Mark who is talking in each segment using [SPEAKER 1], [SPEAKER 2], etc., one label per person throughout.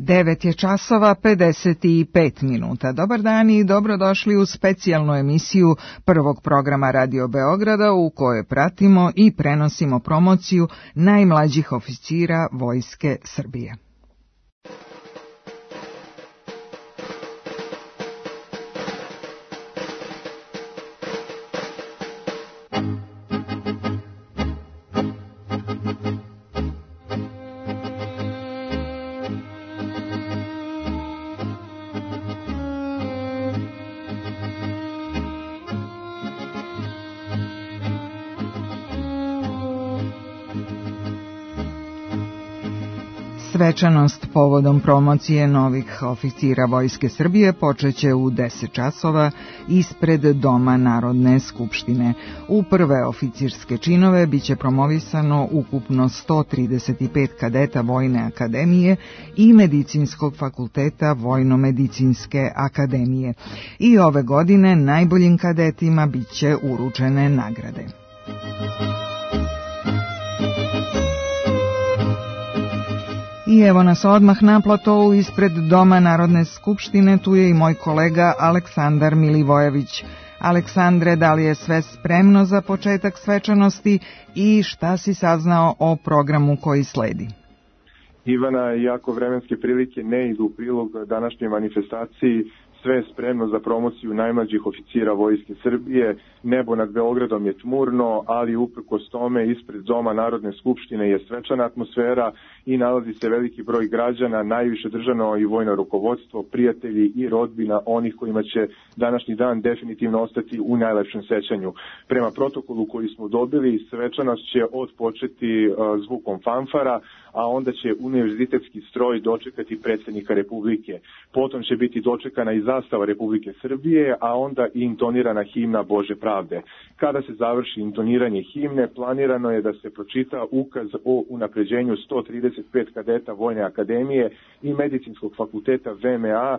[SPEAKER 1] 9 je časova 55 minuta. Dobar dan i dobrodošli u specijalnu emisiju prvog programa Radio Beograda u kojoj pratimo i prenosimo promociju najmlađih oficira Vojske Srbije. Svečanost povodom promocije novih oficira Vojske Srbije počeće u 10 časova ispred Doma Narodne skupštine. U prve oficirske činove biće promovisano ukupno 135 kadeta Vojne akademije i Medicinskog fakulteta Vojno-medicinske akademije. I ove godine najboljim kadetima biće uručene nagrade. I evo nas odmah na platovu ispred Doma Narodne skupštine, tu je i moj kolega Aleksandar Milivojević. Aleksandre, da li je sve spremno za početak svečanosti i šta si saznao o programu koji sledi?
[SPEAKER 2] Ivana, iako vremenske prilike ne idu u prilog današnjoj manifestaciji, sve je spremno za promociju najmlađih oficira Vojske Srbije. Nebo nad Beogradom je tmurno, ali uprkos tome ispred Doma Narodne skupštine je svečana atmosfera i nalazi se veliki broj građana, najviše državno i vojno rukovodstvo, prijatelji i rodbina onih kojima će današnji dan definitivno ostati u najlepšem sećanju. Prema protokolu koji smo dobili, svečanost će odpočeti zvukom fanfara, a onda će univerzitetski stroj dočekati predsjednika Republike. Potom će biti dočekana i zastava Republike Srbije, a onda i intonirana himna Bože pravde. Kada se završi intoniranje himne, planirano je da se pročita ukaz o unapređenju 135 kadeta Vojne akademije i Medicinskog fakulteta VMA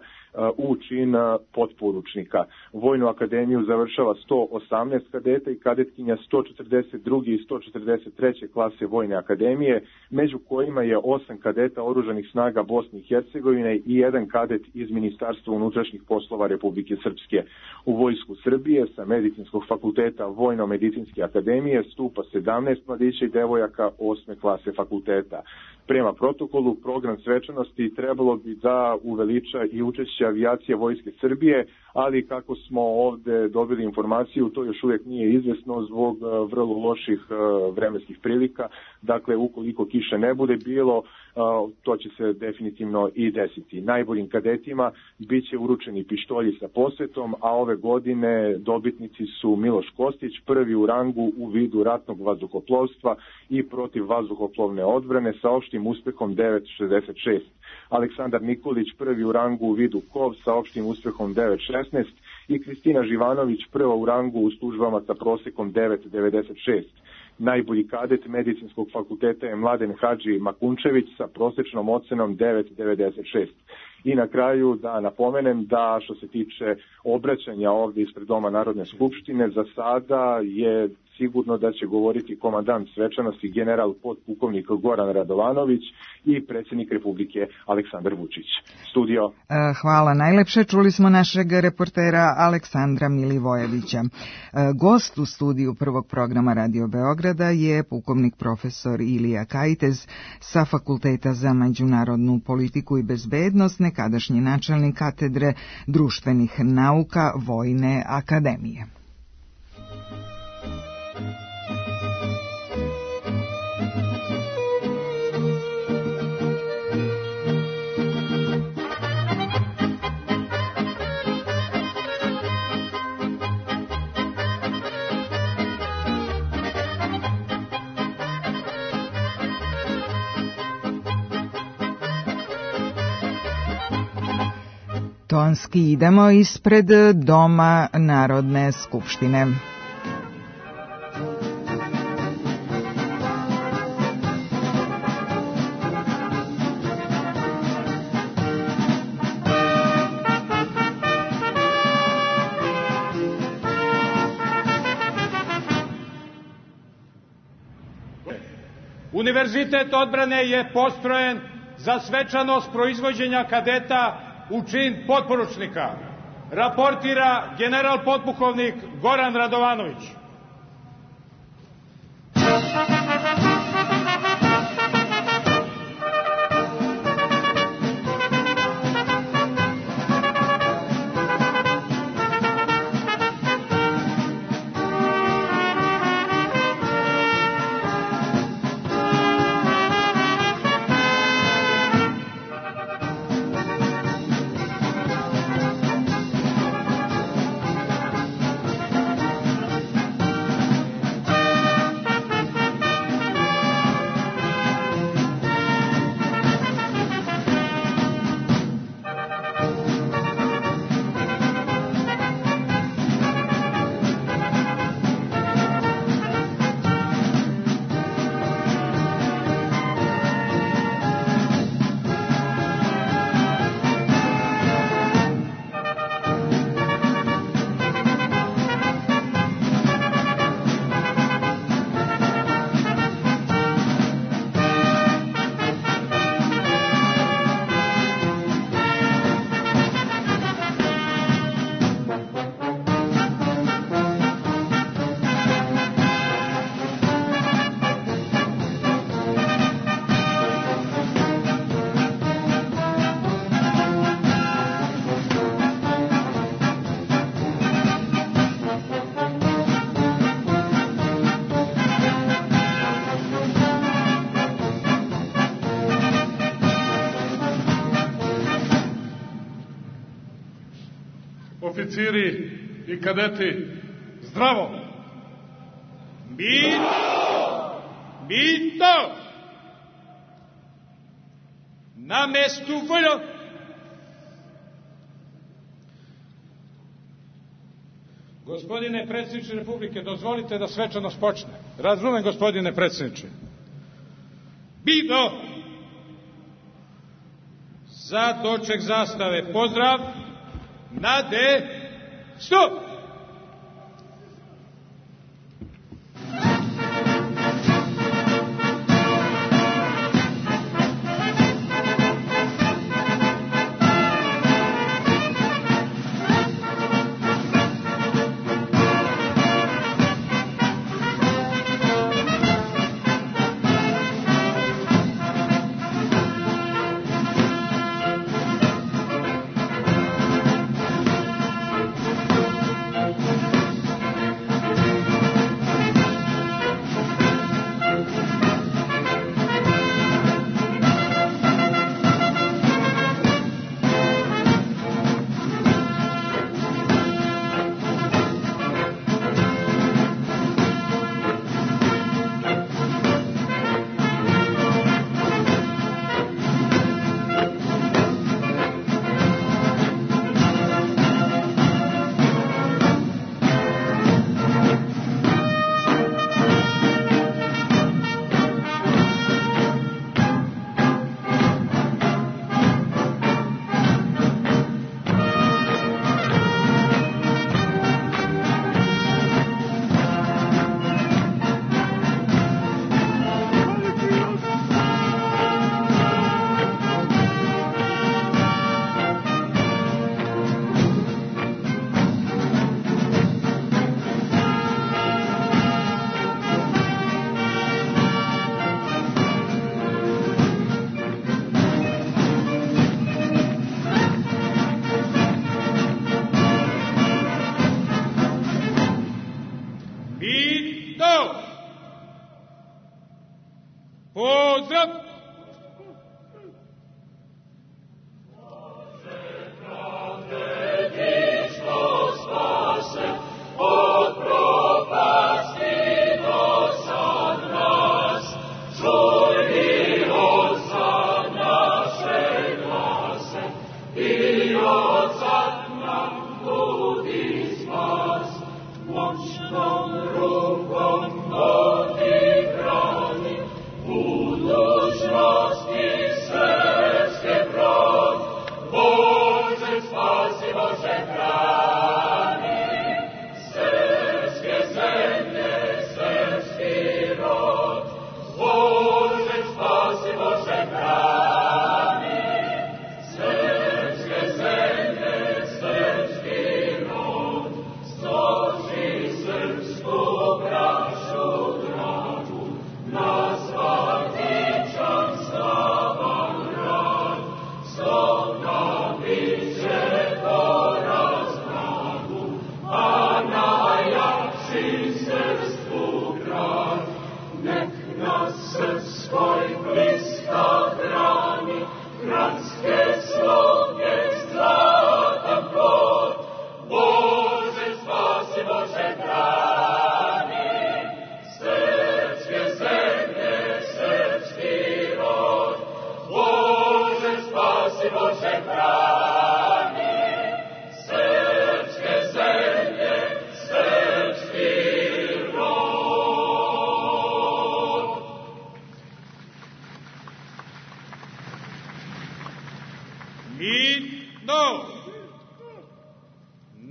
[SPEAKER 2] u čin potporučnika. Vojnu akademiju završava 118 kadeta i kadetkinja 142. i 143. klase Vojne akademije, među kojima je 8 kadeta Oružanih snaga Bosne i Hercegovine i 1 kadet iz Ministarstva unutrašnjih poslova Republike Srpske. U Vojsku Srbije sa Medicinskog fakulteta Vojno-medicinske akademije stupa 17 mladića i devojaka 8. klase fakulteta. Prema protokolu, program svečanosti trebalo bi da uveliča i učešće avijacije Vojske Srbije, ali kako smo ovde dobili informaciju, to još uvijek nije izvesno zbog vrlo loših vremenskih prilika. Dakle, ukoliko kiše ne bude bilo, to će se definitivno i desiti. Najboljim kadetima bit će uručeni pištolji sa posvetom, a ove godine dobitnici su Miloš Kostić, prvi u rangu u vidu ratnog vazduhoplovstva i protiv vazduhoplovne odbrane sa opštim uspehom 9.66. Aleksandar Nikolić, prvi u rangu u vidu KOV sa opštim uspehom 9.16 i Kristina Živanović, prva u rangu u službama sa prosekom 9.96. Najbolji kadet Medicinskog fakulteta je Mladen Hadži Makunčević sa prosečnom ocenom 9.96. I na kraju da napomenem da što se tiče obraćanja ovdje ispred Doma Narodne skupštine, za sada je sigurno da će govoriti komandant svečanosti general podpukovnik Goran Radovanović i predsjednik Republike Aleksandar Vučić. Studio.
[SPEAKER 1] Hvala najlepše. Čuli smo našeg reportera Aleksandra Milivojevića. Gost u studiju prvog programa Radio Beograda je pukovnik profesor Ilija Kajtez sa Fakulteta za međunarodnu politiku i bezbednost, nekadašnji načelnik katedre društvenih nauka Vojne akademije. Tonski idemo ispred Doma Narodne skupštine.
[SPEAKER 3] Univerzitet odbrane je postrojen za svečanost proizvođenja kadeta u čin potporučnika raportira general potpukovnik Goran Radovanović. Oficiri i kadeti, zdravo! Mito! Na mestu voljo! Gospodine predsjedniče Republike, dozvolite da svečanost počne. Razumem, gospodine predsjedniče. Bido! Za doček zastave pozdrav! Nade, stop!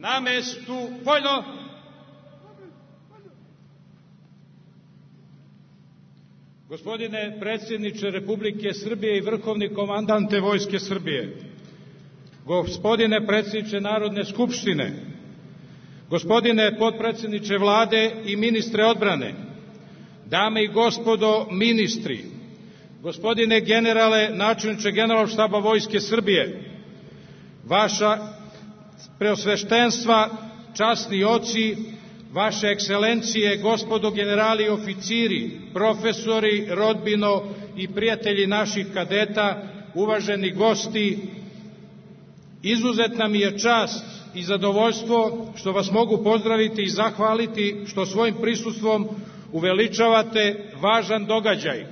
[SPEAKER 3] Na mestu vojno. Gospodine predsjedniče Republike Srbije i vrhovni komandante Vojske Srbije, gospodine predsjedniče Narodne skupštine, gospodine potpredsjedniče Vlade i ministre odbrane, dame i gospodo ministri, gospodine generale, načelniče Generalštaba Vojske Srbije, vaša preosveštenstva, časni oci, vaše ekscelencije, gospodo generali i oficiri, profesori, rodbino i prijatelji naših kadeta, uvaženi gosti, izuzetna mi je čast i zadovoljstvo što vas mogu pozdraviti i zahvaliti što svojim prisustvom uveličavate važan događaj,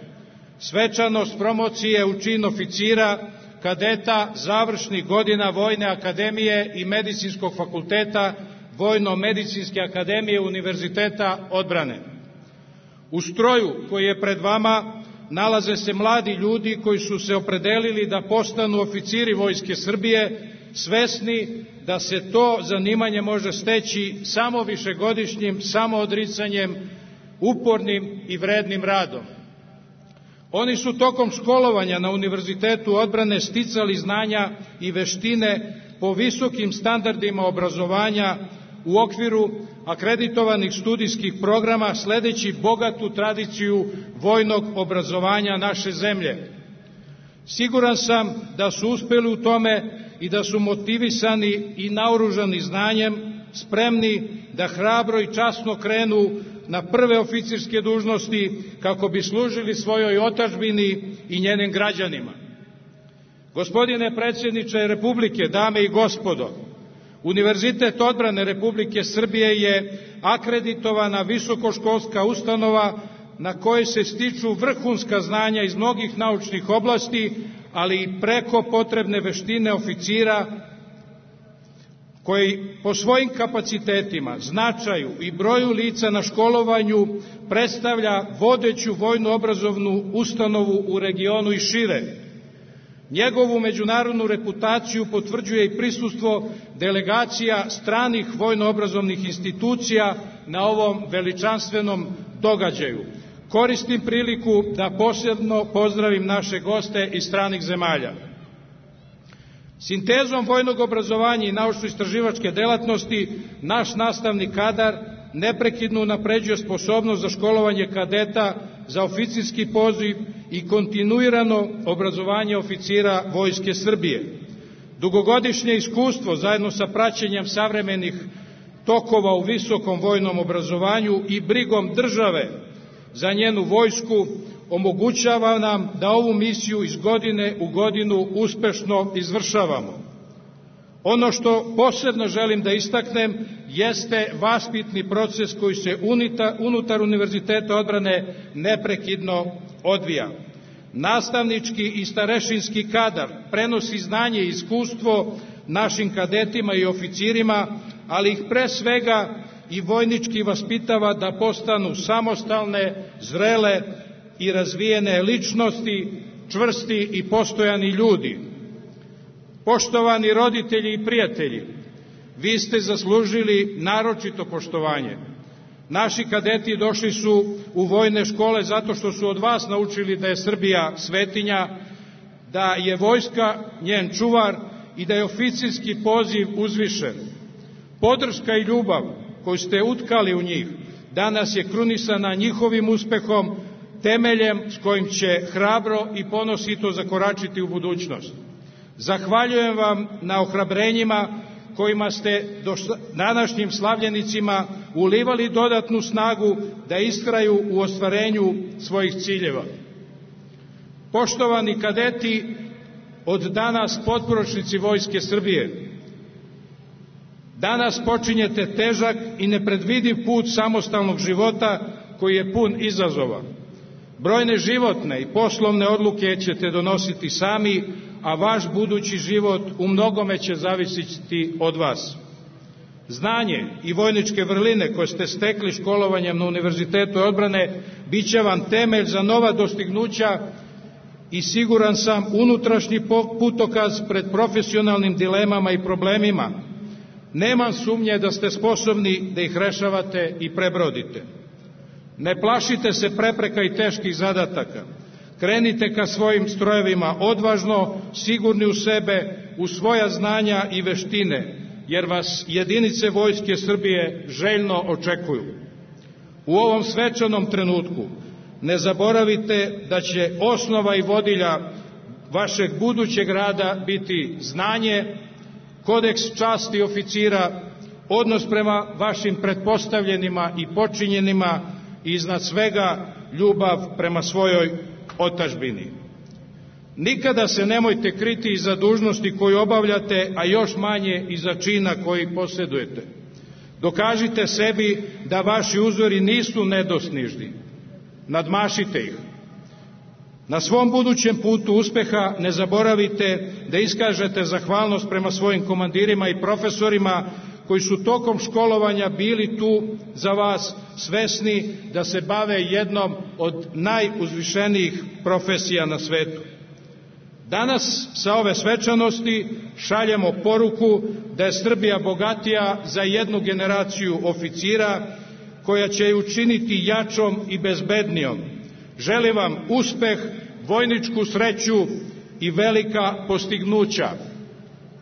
[SPEAKER 3] svečanost promocije u čin oficira, kadeta završnih godina Vojne akademije i Medicinskog fakulteta Vojno-medicinske akademije Univerziteta odbrane. U stroju koji je pred vama nalaze se mladi ljudi koji su se opredelili da postanu oficiri Vojske Srbije, svesni da se to zanimanje može steći samo višegodišnjim samoodricanjem, upornim i vrednim radom. Oni su tokom školovanja na Univerzitetu odbrane sticali znanja i veštine po visokim standardima obrazovanja u okviru akreditovanih studijskih programa, sledeći bogatu tradiciju vojnog obrazovanja naše zemlje. Siguran sam da su uspeli u tome i da su motivisani i naoružani znanjem, spremni da hrabro i časno krenu na prve oficirske dužnosti kako bi služili svojoj otadžbini i njenim građanima. Gospodine predsjedniče Republike, dame i gospodo, Univerzitet odbrane Republike Srbije je akreditovana visokoškolska ustanova na kojoj se stiču vrhunska znanja iz mnogih naučnih oblasti, ali i preko potrebne veštine oficira koji po svojim kapacitetima, značaju i broju lica na školovanju predstavlja vodeću vojno-obrazovnu ustanovu u regionu i šire. Njegovu međunarodnu reputaciju potvrđuje i prisustvo delegacija stranih vojno-obrazovnih institucija na ovom veličanstvenom događaju. Koristim priliku da posebno pozdravim naše goste iz stranih zemalja. Sintezom vojnog obrazovanja i naučno-istraživačke delatnosti naš nastavni kadar neprekidno unapređuje sposobnost za školovanje kadeta za oficirski poziv i kontinuirano obrazovanje oficira Vojske Srbije. Dugogodišnje iskustvo zajedno sa praćenjem savremenih tokova u visokom vojnom obrazovanju i brigom države za njenu vojsku omogućava nam da ovu misiju iz godine u godinu uspešno izvršavamo. Ono što posebno želim da istaknem jeste vaspitni proces koji se unutar Univerziteta odbrane neprekidno odvija. Nastavnički i starešinski kadar prenosi znanje i iskustvo našim kadetima i oficirima, ali ih pre svega i vojnički vaspitava da postanu samostalne, zrele i razvijene ličnosti, čvrsti i postojani ljudi. Poštovani roditelji i prijatelji, vi ste zaslužili naročito poštovanje. Naši kadeti došli su u vojne škole zato što su od vas naučili da je Srbija svetinja, da je vojska njen čuvar i da je oficirski poziv uzvišen. Podrška i ljubav koju ste utkali u njih danas je krunisana njihovim uspehom, temeljem s kojim će hrabro i ponosito zakoračiti u budućnost. Zahvaljujem vam na ohrabrenjima kojima ste današnjim slavljenicima ulivali dodatnu snagu da istraju u ostvarenju svojih ciljeva. Poštovani kadeti, od danas potporučnici Vojske Srbije. Danas počinjete težak i nepredvidiv put samostalnog života koji je pun izazova. Brojne životne i poslovne odluke ćete donositi sami, a vaš budući život u mnogome će zavisiti od vas. Znanje i vojničke vrline koje ste stekli školovanjem na Univerzitetu odbrane bit će vam temelj za nova dostignuća i siguran sam unutrašnji putokaz pred profesionalnim dilemama i problemima. Nemam sumnje da ste sposobni da ih rešavate i prebrodite. Ne plašite se prepreka i teških zadataka. Krenite ka svojim strojevima odvažno, sigurni u sebe, u svoja znanja i veštine, jer vas jedinice Vojske Srbije željno očekuju. U ovom svečanom trenutku ne zaboravite da će osnova i vodilja vašeg budućeg rada biti znanje, kodeks časti oficira, odnos prema vašim pretpostavljenima i počinjenima i iznad svega ljubav prema svojoj otadžbini. Nikada se nemojte kriti iza dužnosti koju obavljate, a još manje iza čina koji posjedujete. Dokažite sebi da vaši uzori nisu nedostižni. Nadmašite ih. Na svom budućem putu uspeha ne zaboravite da iskažete zahvalnost prema svojim komandirima i profesorima koji su tokom školovanja bili tu za vas, svesni da se bave jednom od najuzvišenijih profesija na svetu. Danas sa ove svečanosti šaljemo poruku da je Srbija bogatija za jednu generaciju oficira koja će je učiniti jačom i bezbednijom. Želim vam uspeh, vojničku sreću i velika postignuća.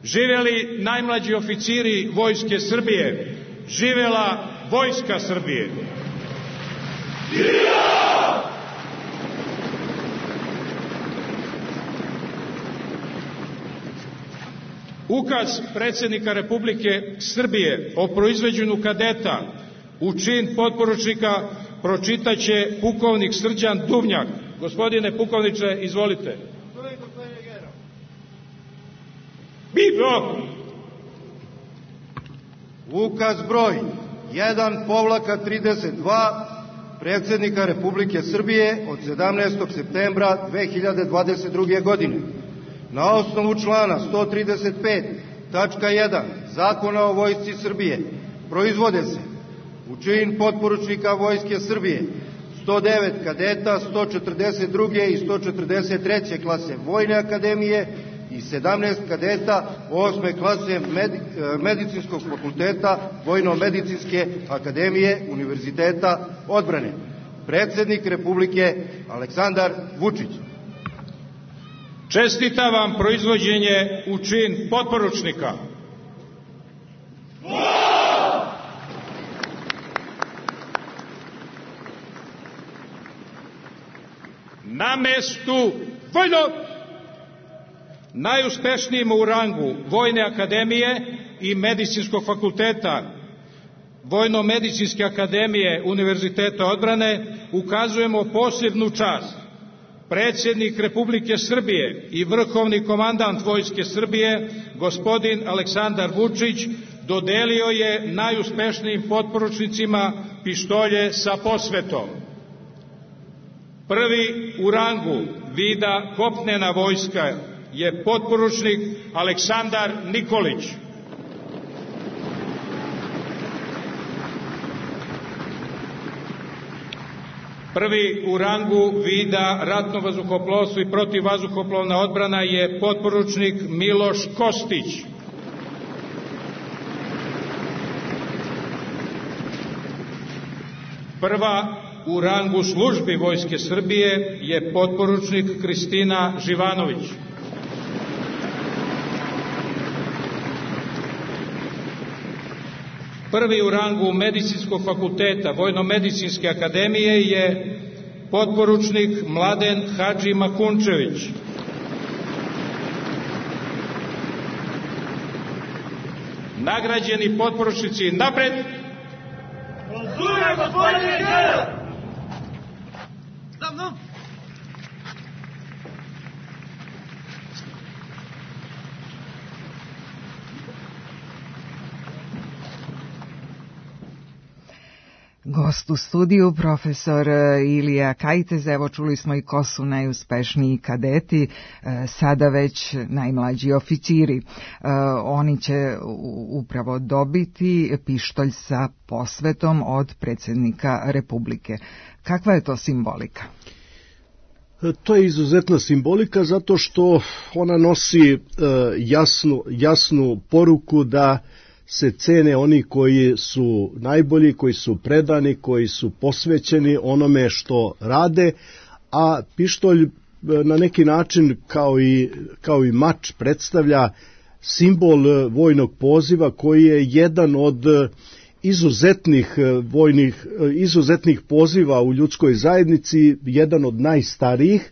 [SPEAKER 3] Živjeli najmlađi oficiri Vojske Srbije, živjela Vojska Srbije. Ukaz predsjednika Republike Srbije o proizvođenju kadeta u čin potporučnika pročitaće pukovnik Srđan Duvnjak. Gospodine pukovniče, izvolite.
[SPEAKER 4] Ukaz broj 1/32 predsjednika Republike Srbije od 17. septembra 2022. godine. Na osnovu člana 135. tačka 1 Zakona o Vojsci Srbije proizvode se u čin potporučnika Vojske Srbije 109 kadeta 142. i 143. klase Vojne akademije i 17 kadeta 8. klase Medicinskog fakulteta Vojno-medicinske akademije Univerziteta odbrane. Predsjednik Republike Aleksandar Vučić.
[SPEAKER 3] Čestitam vam proizvođenje u čin potporučnika. Na mestu vojno! Najuspešnijima u rangu Vojne akademije i Medicinskog fakulteta Vojno-medicinske akademije Univerziteta odbrane ukazujemo posebnu čast. Predsjednik Republike Srbije i vrhovni komandant Vojske Srbije, gospodin Aleksandar Vučić, dodelio je najuspešnijim potporučnicima pištolje sa posvetom. Prvi u rangu vida kopnena vojska je potporučnik Aleksandar Nikolić. Prvi u rangu vida ratno vazduhoplovstvo i protivvazduhoplovna odbrana je potporučnik Miloš Kostić. Prva u rangu službi Vojske Srbije je potporučnik Kristina Živanović. Prvi u rangu Medicinskog fakulteta Vojno-medicinske akademije je potporučnik Mladen Hadži Makunčević. Nagrađeni potporučnici napred!
[SPEAKER 5] Konzulje, gospodine general!
[SPEAKER 1] Gost u studiju, profesor Ilija Kajtez. Evo, čuli smo i ko su najuspešniji kadeti, sada već najmlađi oficiri. Oni će upravo dobiti pištolj sa posvetom od predsjednika Republike. Kakva je to simbolika?
[SPEAKER 6] To je izuzetna simbolika zato što ona nosi jasnu poruku da se cene oni koji su najbolji, koji su predani, koji su posvećeni onome što rade, a pištolj na neki način kao i mač predstavlja simbol vojnog poziva koji je jedan od izuzetnih poziva u ljudskoj zajednici, jedan od najstarijih.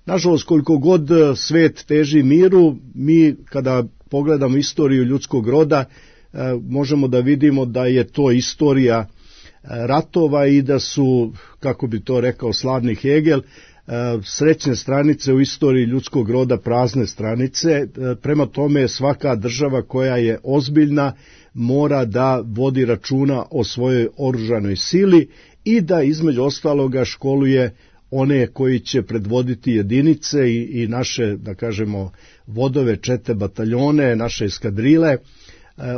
[SPEAKER 6] Nažalost, koliko god svet teži miru, mi kada pogledamo istoriju ljudskog roda, možemo da vidimo da je to istorija ratova i da su, kako bi to rekao slavni Hegel, srećne stranice u istoriji ljudskog roda prazne stranice. Prema tome, svaka država koja je ozbiljna mora da vodi računa o svojoj oružanoj sili i da između ostaloga školuje one koji će predvoditi jedinice i naše, da kažemo, vodove, čete, bataljone, naše eskadrile.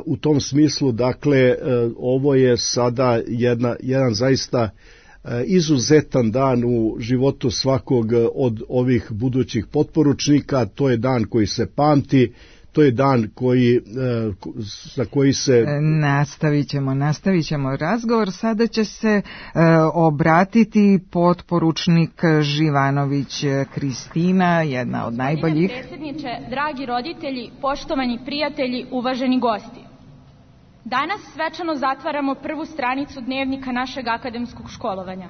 [SPEAKER 6] U tom smislu, dakle, ovo je sada jedan zaista izuzetan dan u životu svakog od ovih budućih potporučnika. To je dan koji se pamti, to je dan za koji se...
[SPEAKER 1] Nastavit ćemo razgovor. Sada će se obratiti potporučnik Živanović Kristina, jedna od najboljih.
[SPEAKER 7] Predsjedniče, dragi roditelji, poštovani prijatelji, uvaženi gosti. Danas svečano zatvaramo prvu stranicu dnevnika našeg akademskog školovanja.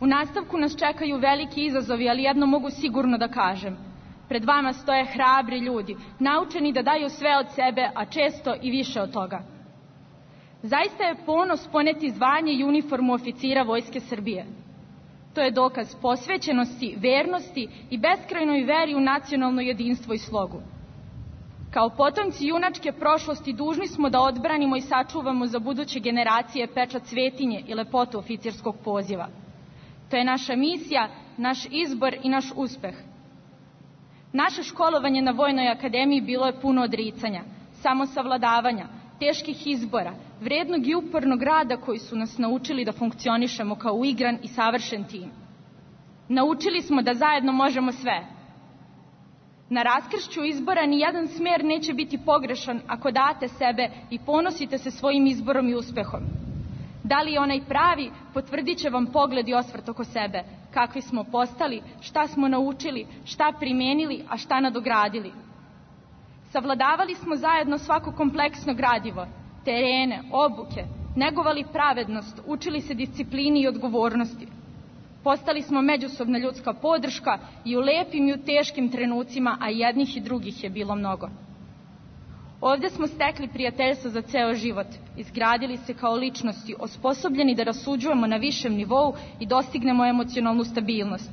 [SPEAKER 7] U nastavku nas čekaju veliki izazovi, ali jedno mogu sigurno da kažem. Pred vama stoje hrabri ljudi, naučeni da daju sve od sebe, a često i više od toga. Zaista je ponos poneti zvanje i uniformu oficira Vojske Srbije. To je dokaz posvećenosti, vernosti i beskrajnoj veri u nacionalno jedinstvo i slogu. Kao potomci junačke prošlosti dužni smo da odbranimo i sačuvamo za buduće generacije pečat svetinje i lepotu oficirskog poziva. To je naša misija, naš izbor i naš uspeh. Naše školovanje na Vojnoj akademiji bilo je puno odricanja, samosavladavanja, teških izbora, vrednog i upornog rada koji su nas naučili da funkcionišemo kao uigran i savršen tim. Naučili smo da zajedno možemo sve. Na raskršću izbora nijedan smer neće biti pogrešan ako date sebe i ponosite se svojim izborom i uspehom. Da li je onaj pravi, potvrdit će vam pogled i osvrt oko sebe, kakvi smo postali, šta smo naučili, šta primenili, a šta nadogradili. Savladavali smo zajedno svako kompleksno gradivo, terene, obuke, negovali pravednost, učili se disciplini i odgovornosti. Postali smo međusobna ljudska podrška i u lepim i u teškim trenucima, a jednih i drugih je bilo mnogo. Ovdje smo stekli prijateljstvo za ceo život, izgradili se kao ličnosti, osposobljeni da rasuđujemo na višem nivou i dostignemo emocionalnu stabilnost.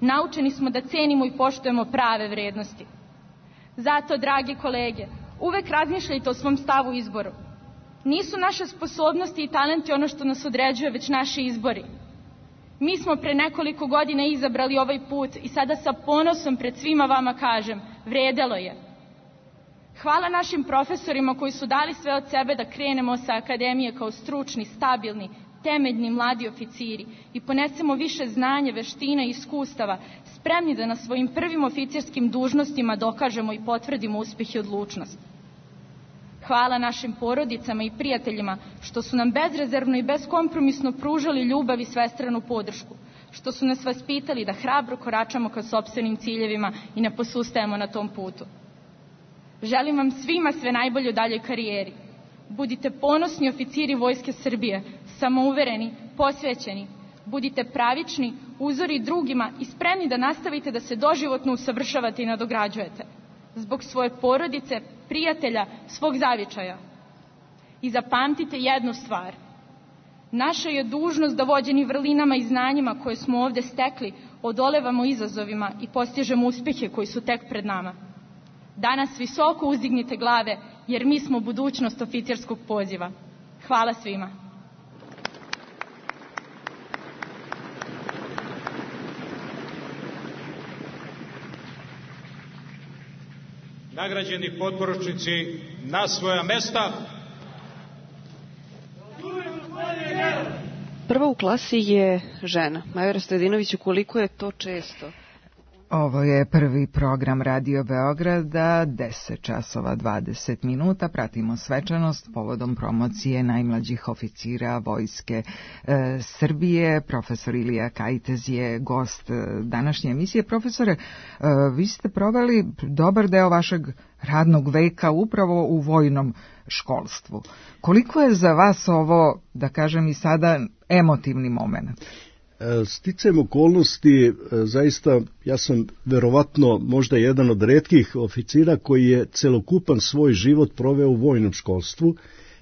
[SPEAKER 7] Naučeni smo da cenimo i poštujemo prave vrednosti. Zato, dragi kolege, uvek razmišljajte o svom stavu i izboru. Nisu naše sposobnosti i talenti ono što nas određuje, već naši izbori. Mi smo pre nekoliko godina izabrali ovaj put i sada sa ponosom pred svima vama kažem, vredelo je. Hvala našim profesorima koji su dali sve od sebe da krenemo sa akademije kao stručni, stabilni, temeljni mladi oficiri i ponesemo više znanja, veština i iskustava, spremni da na svojim prvim oficirskim dužnostima dokažemo i potvrdimo uspeh i odlučnost. Hvala našim porodicama i prijateljima što su nam bezrezervno i beskompromisno pružali ljubav i svestranu podršku, što su nas vaspitali da hrabro koračamo ka sopstvenim ciljevima i ne posustajemo na tom putu. Želim vam svima sve najbolje u daljoj karijeri. Budite ponosni oficiri Vojske Srbije, samouvereni, posvećeni. Budite pravični, uzori drugima i spremni da nastavite da se doživotno usavršavate i nadograđujete. Zbog svoje porodice, prijatelja, svog zavičaja. I zapamtite jednu stvar. Naša je dužnost da vođeni vrlinama i znanjima koje smo ovdje stekli odolevamo izazovima i postižemo uspehe koji su tek pred nama. Danas visoko uzdignite glave jer mi smo budućnost oficirskog poziva. Hvala svima.
[SPEAKER 3] nagrađeni potporučnici na svoja mesta.
[SPEAKER 8] Prva u klasi je žena. Majora Stojadinoviću, koliko je to često?
[SPEAKER 1] Ovo je prvi program Radio Beograda, 10 časova 20 minuta. Pratimo svečanost povodom promocije najmlađih oficira Vojske Srbije. Profesor Ilija Kajtez je gost današnje emisije. Profesore, vi ste proveli dobar deo vašeg radnog veka upravo u vojnom školstvu. Koliko je za vas ovo, da kažem i sada, emotivni moment?
[SPEAKER 6] Sticajem okolnosti, zaista ja sam verovatno možda jedan od retkih oficira koji je celokupan svoj život proveo u vojnom školstvu.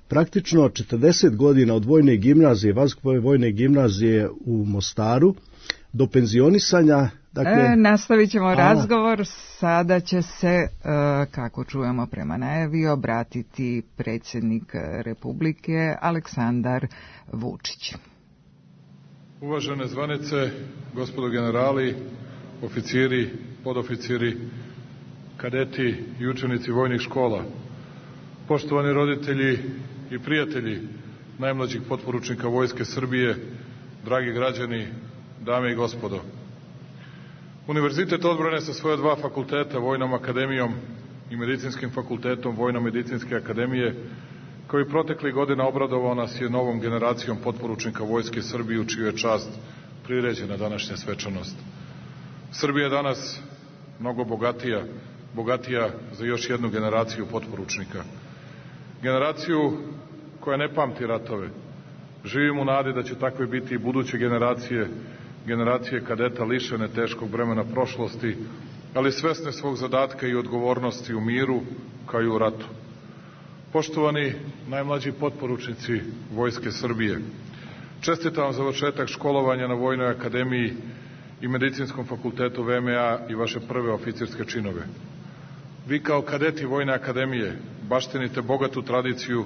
[SPEAKER 6] Praktično 40 godina od vojne gimnazije, Vazduhoplovne vojne gimnazije u Mostaru, do penzionisanja. Dakle,
[SPEAKER 1] nastavit ćemo razgovor. Sada će se, kako čujemo prema najavi, obratiti predsjednik Republike Aleksandar Vučić.
[SPEAKER 9] Uvažene zvanice, gospodo generali, oficiri, podoficiri, kadeti i učenici vojnih škola, poštovani roditelji i prijatelji najmlađih potporučnika Vojske Srbije, dragi građani, dame i gospodo. Univerzitet odbrane sa svoje dva fakulteta, Vojnom akademijom i Medicinskim fakultetom Vojno-medicinske akademije, koji proteklih godina obradovao nas je novom generacijom potporučnika Vojske Srbije, u čiju je čast priređena današnja svečanost. Srbija je danas mnogo bogatija za još jednu generaciju potporučnika. Generaciju koja ne pamti ratove. Živim u nadi da će takve biti i buduće generacije kadeta lišene teškog bremena prošlosti, ali svesne svog zadatka i odgovornosti u miru kao i u ratu. Poštovani najmlađi potporučnici Vojske Srbije, čestitam vam završetak školovanja na Vojnoj akademiji i Medicinskom fakultetu VMA i vaše prve oficirske činove. Vi kao kadeti Vojne akademije baštinite bogatu tradiciju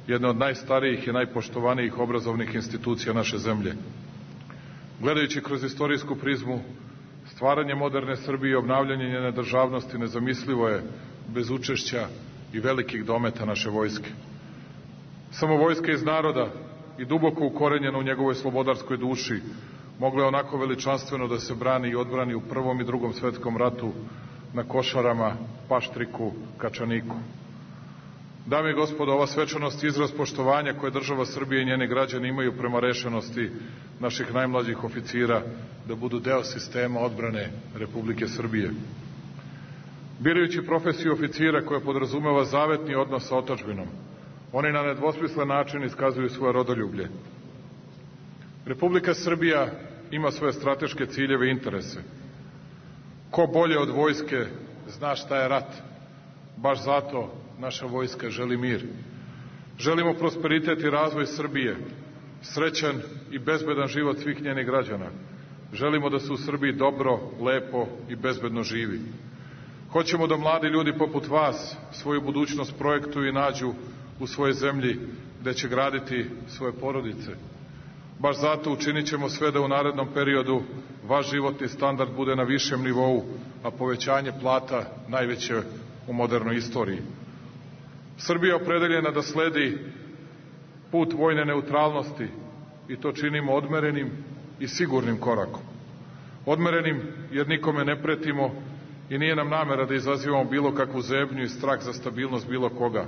[SPEAKER 9] jedne od najstarijih i najpoštovanijih obrazovnih institucija naše zemlje. Gledajući kroz istorijsku prizmu, stvaranje moderne Srbije i obnavljanje njene državnosti nezamislivo je bez učešća i velikih dometa naše vojske. Samo vojska iz naroda i duboko ukorenjena u njegovoj slobodarskoj duši mogla je onako veličanstveno da se brani i odbrani u Prvom i Drugom svetskom ratu na Košarama, Paštriku, Kačaniku. Dame i gospodo, ova svečanost je izraz poštovanja koje država Srbije i njeni građani imaju prema rešenosti naših najmlađih oficira da budu deo sistema odbrane Republike Srbije. Birajući profesiju oficira koja podrazumeva zavetni odnos sa otadžbinom, oni na nedvosmislen način iskazuju svoje rodoljublje. Republika Srbija ima svoje strateške ciljeve i interese. Ko bolje od vojske zna šta je rat. Baš zato naša vojska želi mir. Želimo prosperitet i razvoj Srbije, srećan i bezbedan život svih njenih građana. Želimo da se u Srbiji dobro, lepo i bezbedno živi. Hoćemo da mladi ljudi poput vas svoju budućnost projektuju i nađu u svojoj zemlji gde će graditi svoje porodice. Baš zato učinit ćemo sve da u narednom periodu vaš životni standard bude na višem nivou, a povećanje plata najveće u modernoj istoriji. Srbija je opredeljena da sledi put vojne neutralnosti i to činimo odmerenim i sigurnim korakom. Odmerenim jer nikome ne pretimo i nije nam namera da izazivamo bilo kakvu zebnju i strah za stabilnost bilo koga.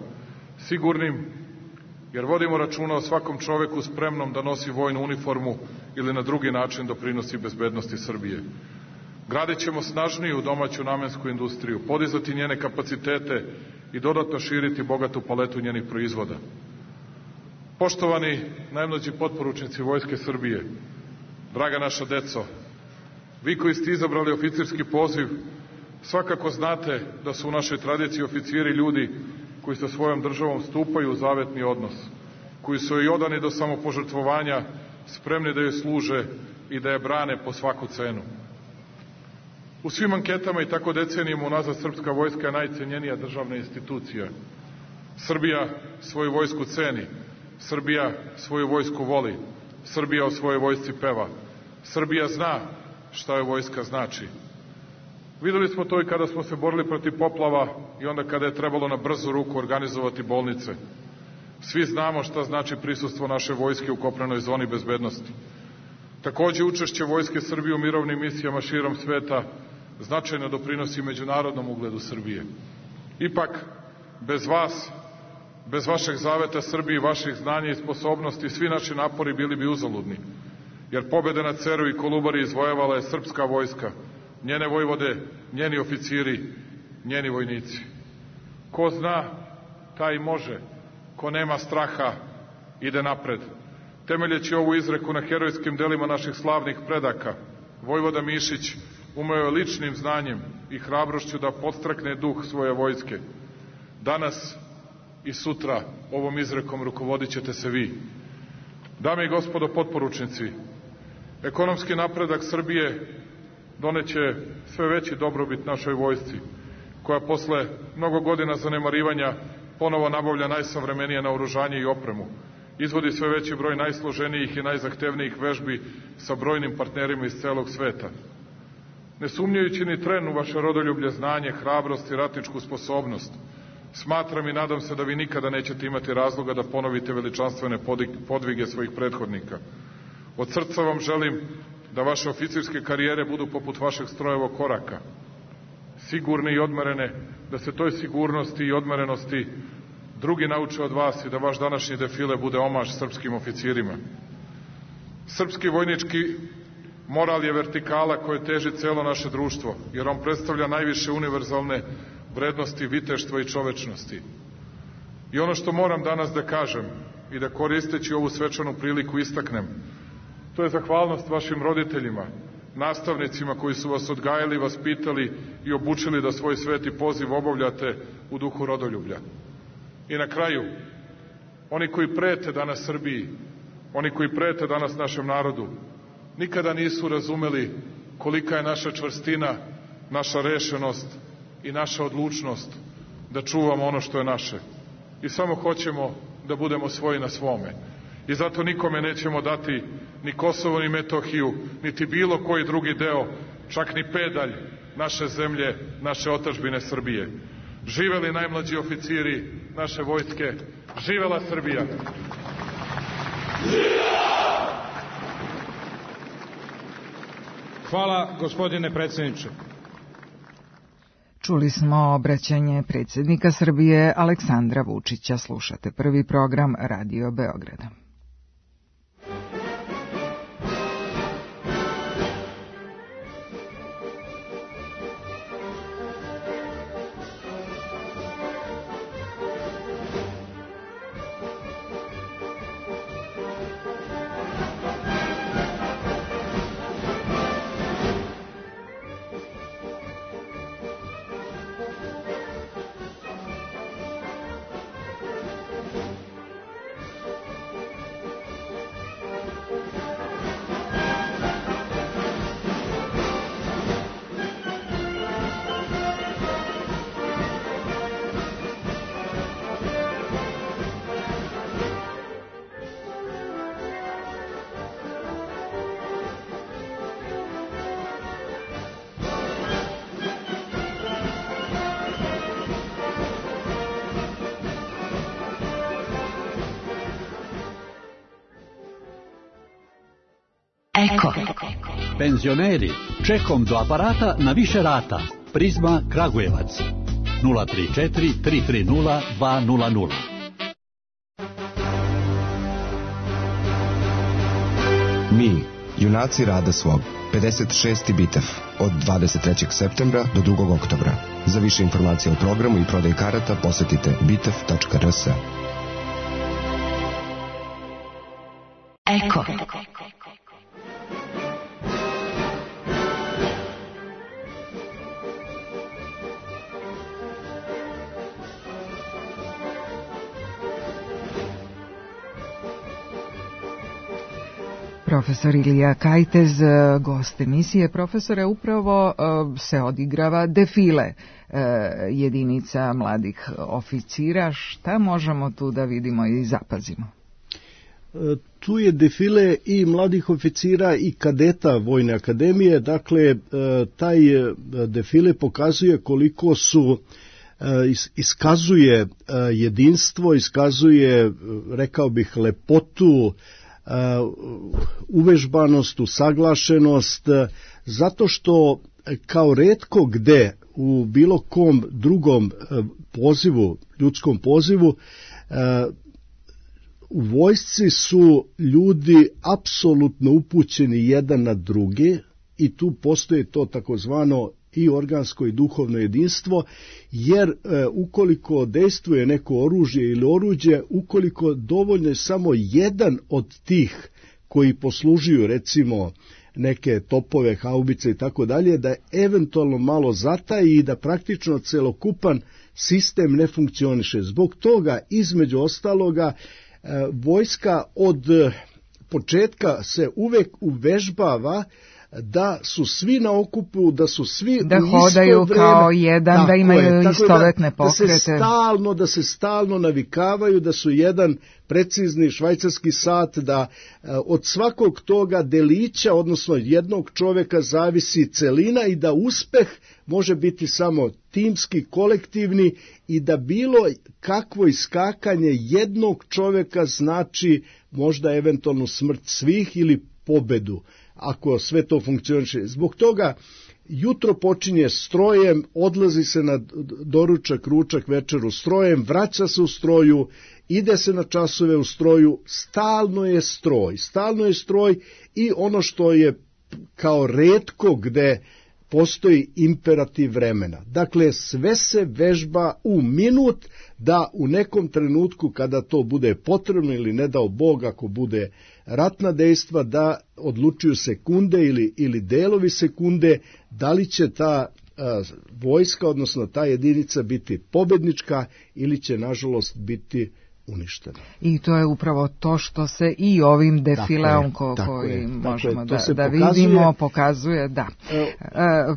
[SPEAKER 9] Sigurnim jer vodimo računa o svakom čoveku spremnom da nosi vojnu uniformu ili na drugi način doprinosi bezbednosti Srbije. Gradit ćemo snažniju domaću namensku industriju, podizati njene kapacitete i dodatno širiti bogatu paletu njenih proizvoda. Poštovani najmlađi potporučnici Vojske Srbije, draga naša deco, vi koji ste izabrali oficirski poziv, svakako znate da su u našoj tradiciji oficiri ljudi koji sa svojom državom stupaju u zavetni odnos, koji su joj odani do samopožrtvovanja, spremni da joj služe i da je brane po svaku cenu. U svim anketama i tako decenijama unazad srpska vojska je najcenjenija državna institucija. Srbija svoju vojsku ceni, Srbija svoju vojsku voli, Srbija o svojoj vojsci peva, Srbija zna šta joj vojska znači. Videli smo to i kada smo se borili protiv poplava i onda kada je trebalo na brzu ruku organizovati bolnice. Svi znamo šta znači prisustvo naše vojske u kopnenoj zoni bezbednosti. Takođe, učešće Vojske Srbije u mirovnim misijama širom sveta značajno doprinosi međunarodnom ugledu Srbije. Ipak, bez vas, bez vašeg zaveta Srbiji, vaših znanja i sposobnosti, svi naši napori bili bi uzaludni. Jer pobede na Ceru i Kolubari izvojevala je srpska vojska, njene vojvode, njeni oficiri, njeni vojnici. Ko zna, taj može. Ko nema straha, ide napred. Temeljeći ovu izreku na herojskim delima naših slavnih predaka, vojvoda Mišić umeo je ličnim znanjem i hrabrošću da podstrakne duh svoje vojske. Danas i sutra ovom izrekom rukovodit ćete se vi. Dame i gospodo potporučnici, ekonomski napredak Srbije doneće sve veći dobrobit našoj vojsci, koja posle mnogo godina zanemarivanja ponovo nabavlja najsavremenije naoružanje i opremu, izvodi sve veći broj najsloženijih i najzahtevnijih vežbi sa brojnim partnerima iz celog sveta. Ne sumnjajući ni tren u vaše rodoljublje, znanje, hrabrost i ratničku sposobnost, smatram i nadam se da vi nikada nećete imati razloga da ponovite veličanstvene podvige svojih prethodnika. Od srca vam želim da vaše oficirske karijere budu poput vašeg strojevog koraka, sigurne i odmerene, da se toj sigurnosti i odmerenosti drugi nauče od vas i da vaš današnji defile bude omaž srpskim oficirima. Srpski vojnički moral je vertikala koje teži celo naše društvo, jer on predstavlja najviše univerzalne vrednosti viteštva i čovečnosti. I ono što moram danas da kažem i da koristeći ovu svečanu priliku istaknem, to je zahvalnost vašim roditeljima, nastavnicima koji su vas odgajali, vaspitali i obučili da svoj sveti poziv obavljate u duhu rodoljublja. I na kraju, oni koji prete danas Srbiji, oni koji prete danas našem narodu, nikada nisu razumeli kolika je naša čvrstina, naša rešenost i naša odlučnost da čuvamo ono što je naše. I samo hoćemo da budemo svoji na svome. I zato nikome nećemo dati ni Kosovo, ni Metohiju, niti bilo koji drugi deo, čak ni pedalj naše zemlje, naše otadžbine Srbije. Živeli najmlađi oficiri naše vojske, živela Srbija!
[SPEAKER 3] Hvala, gospodine predsjedniče.
[SPEAKER 1] Čuli smo obraćanje predsjednika Srbije Aleksandra Vučića. Slušate prvi program Radio Beograda.
[SPEAKER 10] Eko. Penzioneri, čekom do aparata na više rata. Prizma Kragujevac. 034 330 200.
[SPEAKER 11] Mi, junaci rada svog. 56. bitev od 23. septembra do 2. oktobra. Za više informacija o programu i prodaj karata posetite bitev.rs.
[SPEAKER 10] Eko.
[SPEAKER 1] Profesor Ilija Kajtez, gost emisije. Profesore, upravo se odigrava defile jedinica mladih oficira. Šta možemo tu da vidimo i zapazimo?
[SPEAKER 6] Tu je defile i mladih oficira i kadeta Vojne akademije, dakle taj defile pokazuje koliko su iskazuje jedinstvo, iskazuje, rekao bih, lepotu, uvežbanost, usaglašenost, zato što kao retko gde u bilo kom drugom pozivu, ljudskom pozivu, u vojsci su ljudi apsolutno upućeni jedan na drugi i tu postoji to takozvano i organsko i duhovno jedinstvo, jer ukoliko dejstvuje neko oružje ili oruđe, ukoliko dovoljno je samo jedan od tih koji poslužuju recimo neke topove, haubice i tako dalje, da eventualno malo zataji i da praktično celokupan sistem ne funkcioniše. Zbog toga, između ostaloga, vojska od početka se uvek uvežbava da su svi na okupu, da su svi
[SPEAKER 1] da
[SPEAKER 6] u isto
[SPEAKER 1] hodaju
[SPEAKER 6] vreme,
[SPEAKER 1] kao jedan, da imaju istovetne pokrete.
[SPEAKER 6] Da se stalno navikavaju, da su jedan precizni švajcarski sat, da od svakog toga delića, odnosno jednog čoveka, zavisi celina i da uspeh može biti samo timski, kolektivni i da bilo kakvo iskakanje jednog čoveka znači možda eventualnu smrt svih ili pobedu, ako sve to funkcioniše. Zbog toga jutro počinje strojem, odlazi se na doručak, ručak, večeru strojem, vraća se u stroju, ide se na časove u stroju, stalno je stroj i ono što je kao retko gde postoji imperativ vremena. Dakle, sve se vežba u minut da u nekom trenutku kada to bude potrebno ili ne dao Bog ako bude ratna dejstva, da odlučuju sekunde ili delovi sekunde da li će ta vojska, odnosno ta jedinica biti pobednička ili će nažalost biti uništena.
[SPEAKER 1] I to je upravo to što se i ovim defileom koji možemo da vidimo pokazuje. Da.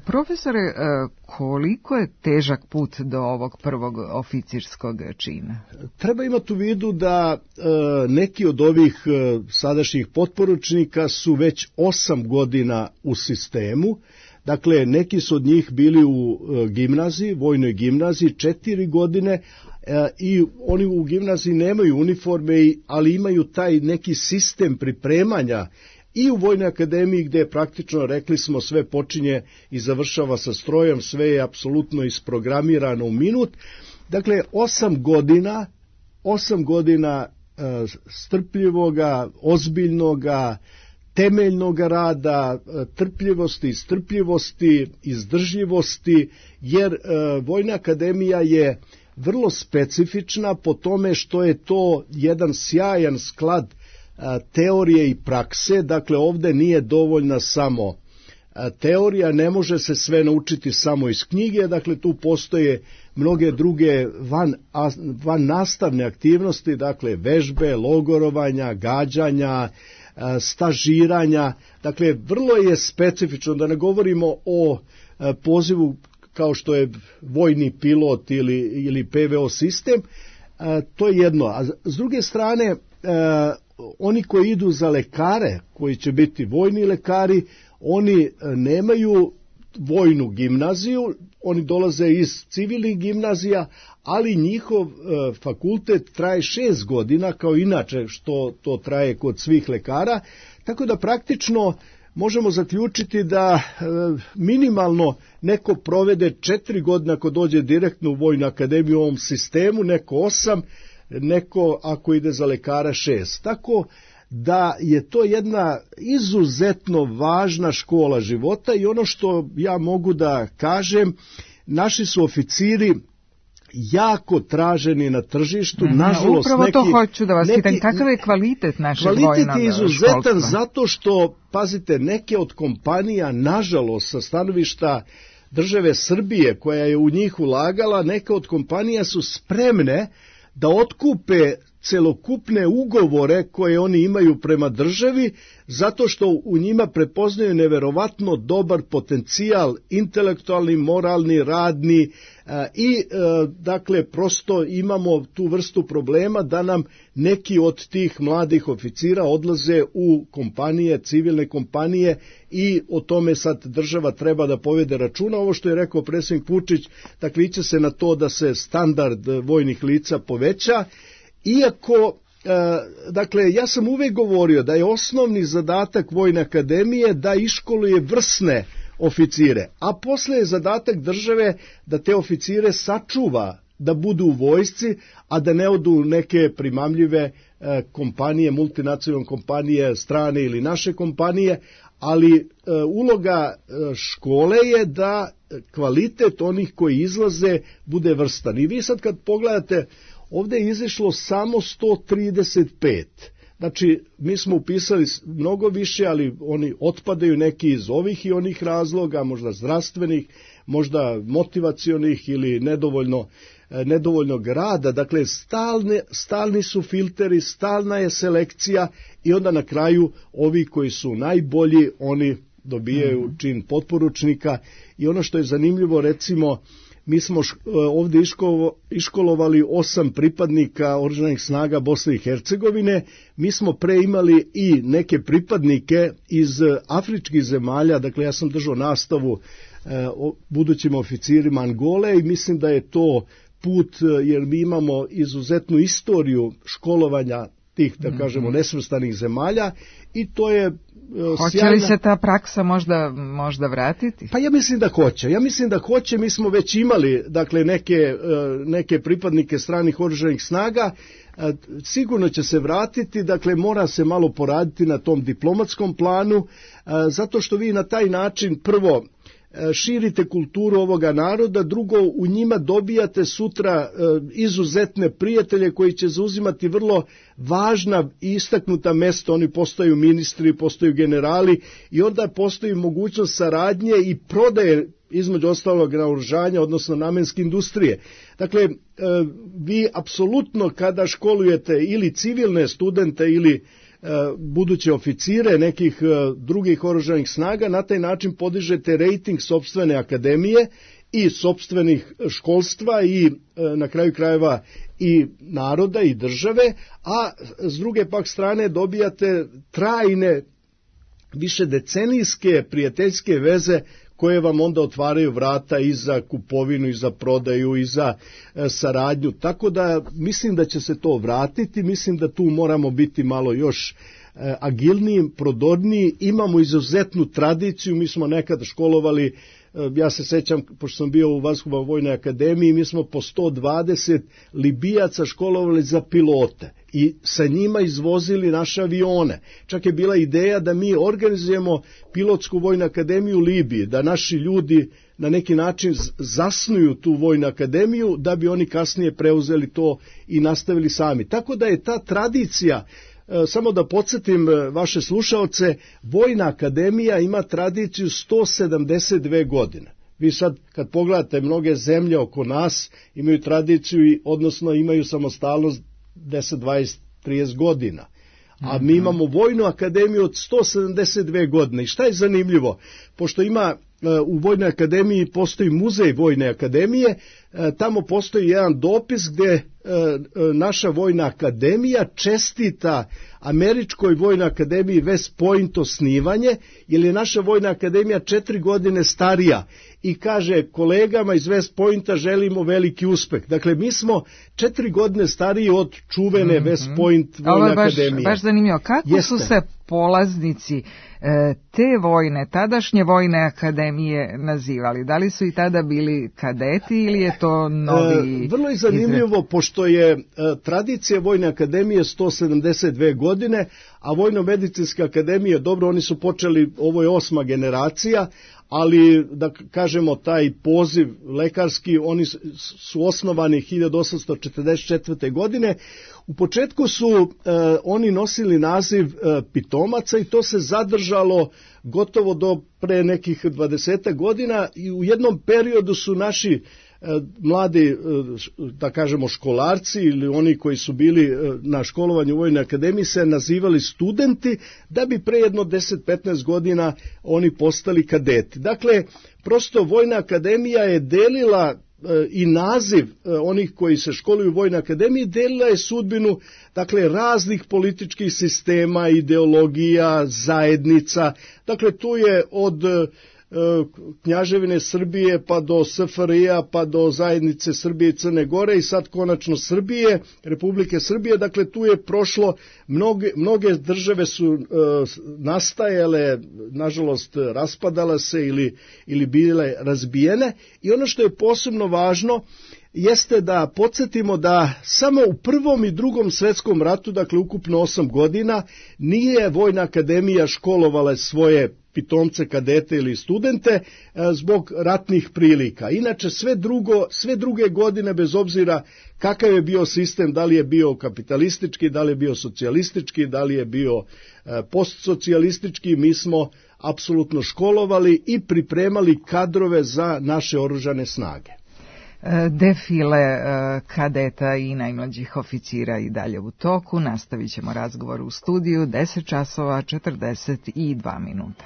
[SPEAKER 1] Profesore, koliko je težak put do ovog prvog oficirskog čina?
[SPEAKER 6] Treba imati u vidu da neki od ovih sadašnjih potporučnika su već 8 godina u sistemu. Dakle, neki su od njih bili u gimnaziji, vojnoj gimnaziji 4 godine, i oni u gimnaziji nemaju uniforme, ali imaju taj neki sistem pripremanja i u Vojnoj akademiji gdje je praktično, rekli smo, sve počinje i završava sa strojem, sve je apsolutno isprogramirano u minut. Dakle, 8 godina strpljivoga, ozbiljnoga, temeljnog rada, trpljivosti, istrpljivosti, izdržljivosti, jer Vojna akademija je vrlo specifična po tome što je to jedan sjajan sklad teorije i prakse. Dakle, ovdje nije dovoljna samo teorija, ne može se sve naučiti samo iz knjige, dakle tu postoje mnoge druge van nastavne aktivnosti, dakle vežbe, logorovanja, gađanja, stažiranja, dakle vrlo je specifično, da ne govorimo o pozivu kao što je vojni pilot ili PVO sistem, to je jedno. A s druge strane, oni koji idu za lekare, koji će biti vojni lekari, oni nemaju vojnu gimnaziju, oni dolaze iz civilnih gimnazija, ali njihov fakultet traje 6 godina, kao inače što to traje kod svih lekara, tako da praktično možemo zaključiti da minimalno neko provede 4 godine ako dođe direktno u Vojnu akademiju u ovom sistemu, neko 8, neko ako ide za lekara 6. Tako da je to jedna izuzetno važna škola života i ono što ja mogu da kažem, naši su oficiri jako traženi na tržištu, nažalost
[SPEAKER 1] upravo to hoću da vas pitam, kakav je kvalitet našeg vojnog školstva?
[SPEAKER 6] Kvalitet je izuzetan zato što, pazite, neke od kompanija, nažalost, sa stanovišta države Srbije koja je u njih ulagala, neke od kompanija su spremne da otkupe celokupne ugovore koje oni imaju prema državi, zato što u njima prepoznaju neverovatno dobar potencijal, intelektualni, moralni, radni i dakle prosto imamo tu vrstu problema da nam neki od tih mladih oficira odlaze u kompanije, civilne kompanije i o tome sad država treba da povede računa. Ovo što je rekao predsjednik Vučić, dakle iće se na to da se standard vojnih lica poveća, iako dakle, ja sam uvek govorio da je osnovni zadatak Vojne akademije da iškoluje vrsne oficire, a posle je zadatak države da te oficire sačuva, da budu u vojsci, a da ne odu u neke primamljive kompanije, multinacionalne kompanije, strane ili naše kompanije, ali uloga škole je da kvalitet onih koji izlaze bude vrstan. I vi sad kad pogledate, ovdje je izašlo samo 135. Znači, mi smo upisali mnogo više, ali oni otpadaju neki iz ovih i onih razloga, možda zdravstvenih, možda motivacionih ili nedovoljnog rada. Dakle, stalni su filteri, stalna je selekcija i onda na kraju ovi koji su najbolji, oni dobijaju čin potporučnika. I ono što je zanimljivo, recimo, mi smo ovdje iškolovali 8 pripadnika oružanih snaga Bosne i Hercegovine, mi smo pre imali i neke pripadnike iz afričkih zemalja, dakle ja sam držao nastavu budućim oficirima Angole i mislim da je to put, jer mi imamo izuzetnu istoriju školovanja tih, da kažemo, nesvrstanih zemalja i to je
[SPEAKER 1] Hoće li se ta praksa možda vratiti?
[SPEAKER 6] Pa ja mislim da hoće, mi smo već imali dakle neke pripadnike stranih oružanih snaga, sigurno će se vratiti, dakle mora se malo poraditi na tom diplomatskom planu, zato što vi na taj način prvo širite kulturu ovoga naroda, drugo u njima dobijate sutra izuzetne prijatelje koji će zauzimati vrlo važna i istaknuta mesta, oni postaju ministri, postaju generali i onda postoji mogućnost saradnje i prodaje između ostalog naoružanja, odnosno namenske industrije. Dakle, vi apsolutno kada školujete ili civilne studente ili buduće oficire nekih drugih oružanih snaga, na taj način podižete rejting sopstvene akademije i sopstvenih školstva i na kraju krajeva i naroda i države, a s druge pak strane dobijate trajne, više decenijske prijateljske veze koje vam onda otvaraju vrata i za kupovinu, i za prodaju, i za saradnju. Tako da mislim da će se to vratiti, mislim da tu moramo biti malo još agilniji, prodorniji, imamo izuzetnu tradiciju, mi smo nekada školovali, ja se sećam, pošto sam bio u Vazduhoplovnoj vojnoj akademiji, mi smo po 120 Libijaca školovali za pilote i sa njima izvozili naše avione. Čak je bila ideja da mi organizujemo pilotsku vojnu akademiju u Libiji, da naši ljudi na neki način zasnuju tu vojnu akademiju, da bi oni kasnije preuzeli to i nastavili sami. Tako da je ta tradicija, samo da podsjetim vaše slušaoce, Vojna akademija ima tradiciju 172 godine. Vi sad kad pogledate mnoge zemlje oko nas imaju tradiciju, odnosno imaju samostalnost 10, 20, 30 godina. A mi imamo Vojnu akademiju od 172 godine. I šta je zanimljivo? Pošto ima u Vojnoj akademiji postoji muzej Vojne akademije, tamo postoji jedan dopis gdje naša Vojna akademija čestita Američkoj Vojnoj akademiji West Point osnivanje, jer je naša Vojna akademija 4 godine starija i kaže kolegama iz West Pointa želimo veliki uspeh. Dakle, mi smo 4 godine stariji od čuvene West Point Vojne akademije.
[SPEAKER 1] Baš zanimljivo. Kako su se polaznici te tadašnje Vojne akademije nazivali? Da li su i tada bili kadeti ili je to novi...
[SPEAKER 6] Vrlo je zanimljivo, pošto je tradicija Vojne akademije 172 godine, a Vojno-medicinska akademija, dobro, oni su počeli, ovo je 8. generacija, ali da kažemo taj poziv lekarski, oni su osnovani 1844. godine. U početku su oni nosili naziv pitomaca i to se zadržalo gotovo do pre nekih 20 godina i u jednom periodu su naši mladi, da kažemo školarci ili oni koji su bili na školovanju u Vojnoj akademiji se nazivali studenti, da bi pre jedno 10-15 godina oni postali kadeti. Dakle, prosto Vojna akademija je delila i naziv onih koji se školuju u Vojnoj akademiji, delila je sudbinu, dakle, raznih političkih sistema, ideologija, zajednica. Dakle, tu je od Knjaževine Srbije pa do SFRJ-a pa do zajednice Srbije i Crne Gore i sad konačno Srbije, Republike Srbije. Dakle, tu je prošlo, mnoge države su nastajale, nažalost raspadala se ili bile razbijene, i ono što je posebno važno jeste da podsjetimo da samo u Prvom i Drugom svetskom ratu, dakle ukupno 8 godina, nije Vojna akademija školovala svoje pitomce, kadete ili studente zbog ratnih prilika. Inače sve druge godine, bez obzira kakav je bio sistem, da li je bio kapitalistički, da li je bio socijalistički, da li je bio postsocijalistički, mi smo apsolutno školovali i pripremali kadrove za naše oružane snage.
[SPEAKER 1] Defile kadeta i najmlađih oficira i dalje u toku. Nastavit ćemo razgovor u studiju 10 časova 42 minuta.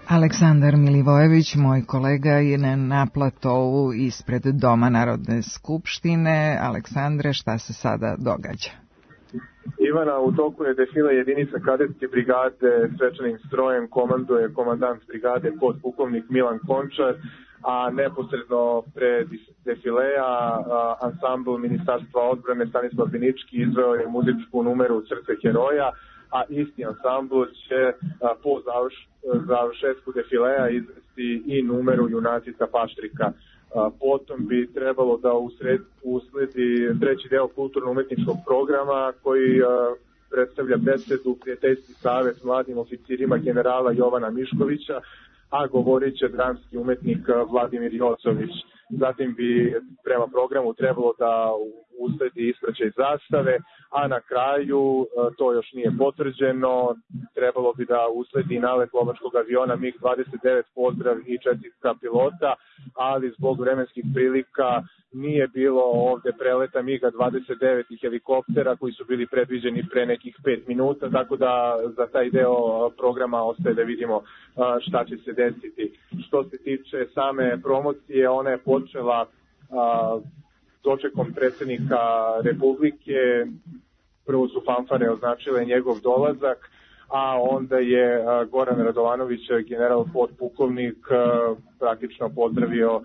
[SPEAKER 1] Aleksandar Milivojević, moj kolega, je na platovu ispred Doma Narodne skupštine. Aleksandre, šta se sada događa?
[SPEAKER 2] Ivana, u toku je defile jedinica kadetske brigade svečanim strojem, komanduje komandant brigade podpukovnik Milan Končar, a neposredno pred defileja ansambl Ministarstva odbrane Stanislav Binički izveo je muzičku numeru Srce heroja, a isti ansambl će po završetku defileja izvesti i numeru Junacica Paštrika. Potom bi trebalo da usledi treći deo kulturno-umetničkog programa koji predstavlja besedu Prijateljski savet mladim oficirima generala Jovana Miškovića, a govorit će dramski umetnik Vladimir Jocović. Zatim bi prema programu trebalo da usledi ispraćaj zastave, a na kraju, to još nije potvrđeno, trebalo bi da usledi nalet lovačkog aviona MiG-29, pozdrav i čestitka pilota, ali zbog vremenskih prilika nije bilo ovde preleta MiG-29 i helikoptera koji su bili predviđeni pre nekih 5 minuta, tako da za taj deo programa ostaje da vidimo šta će se desiti. Što se tiče same promocije, ona je počela dočekom predsjednika Republike. Prvo su fanfare označile njegov dolazak, a onda je Goran Radovanović, general podpukovnik, praktično pozdravio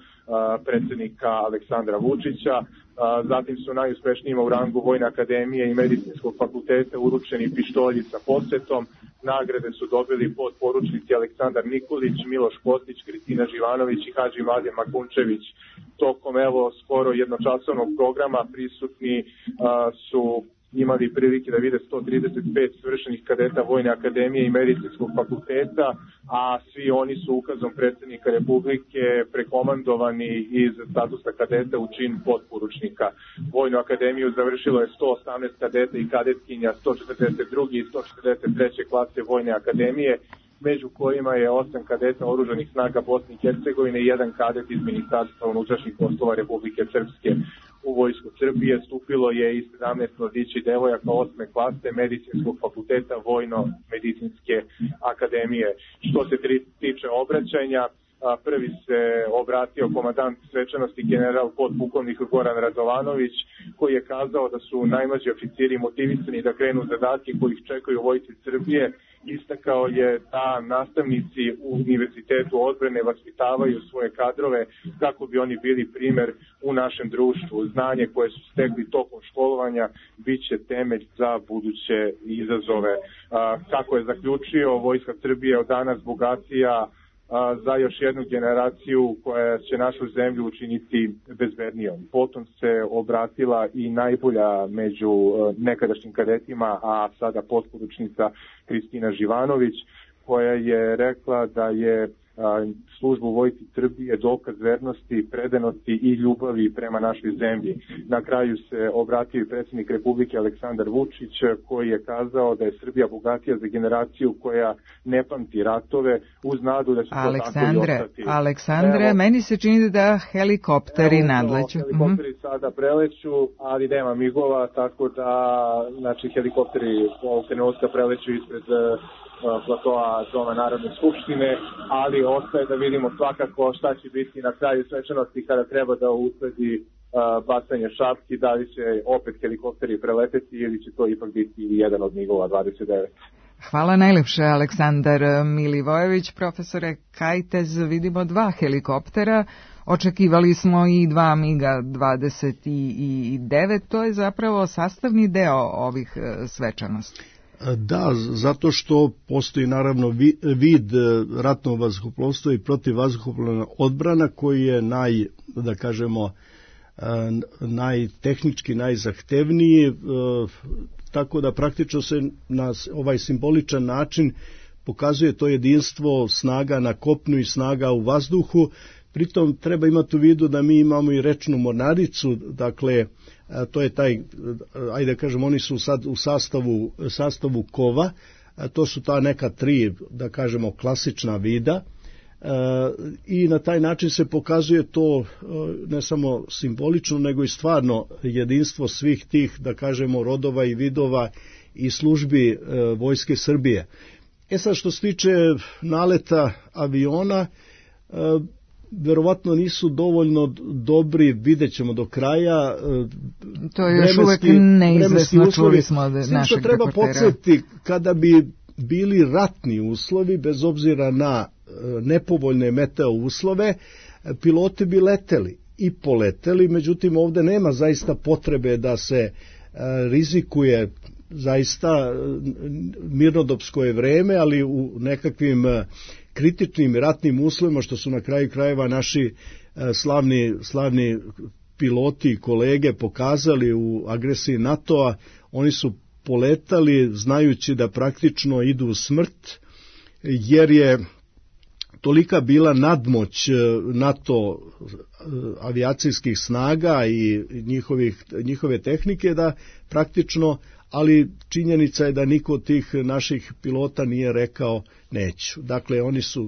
[SPEAKER 2] predsjednika Aleksandra Vučića. Zatim su najuspešnijima u rangu Vojne akademije i Medicinskog fakulteta uručeni pištolji sa posvetom. Nagrade su dobili podporučnici Aleksandar Nikolić, Miloš Kostić, Kristina Živanović i Hadži Mladen Makunčević. Tokom skoro jednočasovnog programa prisutni su imali prilike da vide 135 svršenih kadeta Vojne akademije i Medicinskog fakulteta, a svi oni su ukazom predsjednika Republike prekomandovani iz statusa kadeta u čin podporučnika. Vojnu akademiju završilo je 118 kadeta i kadetkinja 142. i 143. klase Vojne akademije, među kojima je 8 kadeta oružanih snaga Bosne i Hercegovine i 1 kadet iz Ministarstva unutrašnjih poslova Republike Srpske. U Vojsku Srbije stupilo je i 17 mladića i devojaka 8. klase Medicinskog fakulteta Vojno-medicinske akademije. Što se tiče obraćanja, Prvi se obratio komandant svečanosti general podpukovnik Goran Radovanović, koji je kazao da su najmlađi oficiri motivisani da krenu zadatke koji ih čekaju u Vojsci Srbije. Istakao je da nastavnici u Univerzitetu odbrane vaspitavaju svoje kadrove kako bi oni bili primer u našem društvu. Znanje koje su stekli tokom školovanja bit će temelj za buduće izazove. Kako je zaključio, Vojska Srbije od danas bogatija za još jednu generaciju koja će našu zemlju učiniti bezbednijom. Potom se obratila i najbolja među nekadašnjim kadetima, a sada potporučnica Kristina Živanović, koja je rekla da je služba u Vojsci Srbije dokaz vernosti, predanosti i ljubavi prema našoj zemlji. Na kraju se obratio i predsjednik Republike Aleksandar Vučić, koji je kazao da je Srbija bogatija za generaciju koja ne pamti ratove, uz nadu da će to tako i ostati.
[SPEAKER 1] Aleksandre, meni se čini da helikopteri nadleću.
[SPEAKER 2] Helikopteri sada preleću, ali nema migova, tako da helikopteri ovog trenutka preleću ispred platoa Doma Narodne skupštine, ali ostaje da vidimo svakako šta će biti na kraju svečanosti kada treba da usledi bacanje šapki, da li će opet helikopteri preleteti ili će to ipak biti jedan od migova 29.
[SPEAKER 1] Hvala najlepše, Aleksandar Milivojević. Profesore Kajtez, vidimo 2 helikoptera, očekivali smo i 2 MiG-a 29, to je zapravo sastavni deo ovih svečanosti.
[SPEAKER 6] Da, zato što postoji naravno vid ratnog vazduhoplovstva i protivvazduhoplovna odbrana koji je najtehnički najzahtevniji, tako da praktično se na ovaj simboličan način pokazuje to jedinstvo snaga na kopnu i snaga u vazduhu. Pritom treba imati u vidu da mi imamo i rečnu mornaricu, dakle to je taj, ajde kažem, oni su sad u sastavu kova, to su ta neka 3, da kažemo, klasična vida, i na taj način se pokazuje to ne samo simbolično, nego i stvarno jedinstvo svih tih, da kažemo, rodova i vidova i službi Vojske Srbije. Sad što se tiče naleta aviona, verovatno nisu dovoljno dobri, vidjet ćemo do kraja.
[SPEAKER 1] To je još uvek neizvesno, čuli smo od našeg reportera.
[SPEAKER 6] Treba podsjetiti, kada bi bili ratni uslovi, bez obzira na nepovoljne meteo uslove, piloti bi leteli i poleteli, međutim ovde nema zaista potrebe da se rizikuje zaista mirnodopsko je vreme, ali u nekakvim kritičnim ratnim uslovima, što su na kraju krajeva naši slavni piloti i kolege pokazali u agresiji NATO-a, oni su poletali znajući da praktično idu u smrt, jer je tolika bila nadmoć NATO avijacijskih snaga i njihove tehnike da praktično, ali činjenica je da niko od tih naših pilota nije rekao neću. Dakle,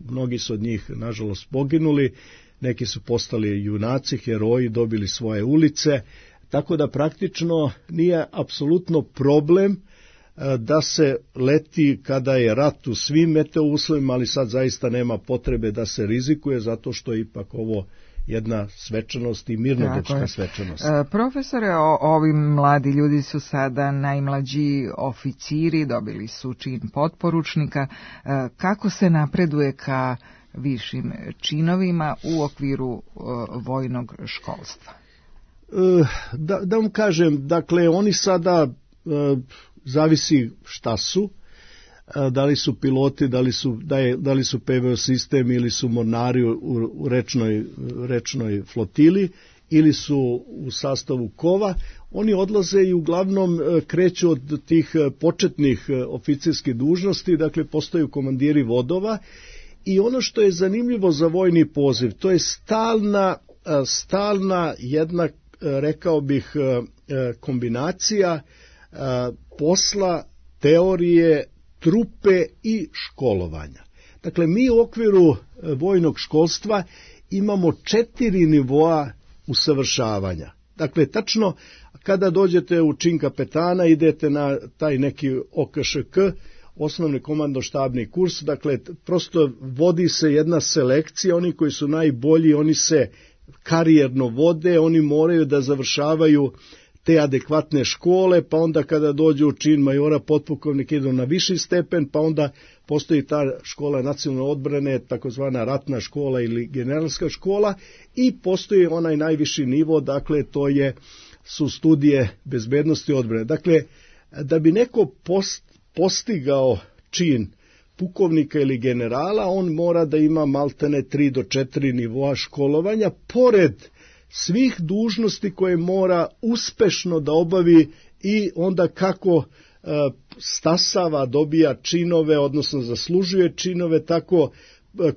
[SPEAKER 6] mnogi su od njih nažalost poginuli, neki su postali junaci, heroji, dobili svoje ulice, tako da praktično nije apsolutno problem da se leti kada je rat u svim meteo uslovima, ali sad zaista nema potrebe da se rizikuje, zato što je ipak ovo jedna svečanost i mirnodopska svečanost.
[SPEAKER 1] Profesore, ovi mladi ljudi su sada najmlađi oficiri, dobili su čin potporučnika. Kako se napreduje ka višim činovima u okviru vojnog školstva?
[SPEAKER 6] Da vam kažem, dakle, oni sada zavisi šta su, da li su piloti, da li su PVO sistem ili su mornari u rečnoj flotili ili su u sastavu kova. Oni odlaze i uglavnom kreću od tih početnih oficirskih dužnosti, dakle postaju komandiri vodova, i ono što je zanimljivo za vojni poziv, to je stalna jedna, rekao bih, kombinacija posla, teorije, trupe i školovanja. Dakle, mi u okviru vojnog školstva imamo 4 nivoa usavršavanja. Dakle, tačno kada dođete u čin kapetana, idete na taj neki OKŠK, osnovni komandno-štabni kurs, dakle prosto vodi se jedna selekcija, oni koji su najbolji, oni se karijerno vode, oni moraju da završavaju te adekvatne škole, pa onda kada dođu u čin majora, potpukovnik idu na viši stepen, pa onda postoji ta škola nacionalne odbrane, takozvana ratna škola ili generalska škola, i postoji onaj najviši nivo, dakle to su studije bezbednosti odbrane. Dakle, da bi neko postigao čin pukovnika ili generala, on mora da ima maltene 3 do 4 nivoa školovanja, pored svih dužnosti koje mora uspešno da obavi i onda kako stasava, dobija činove, odnosno zaslužuje činove, tako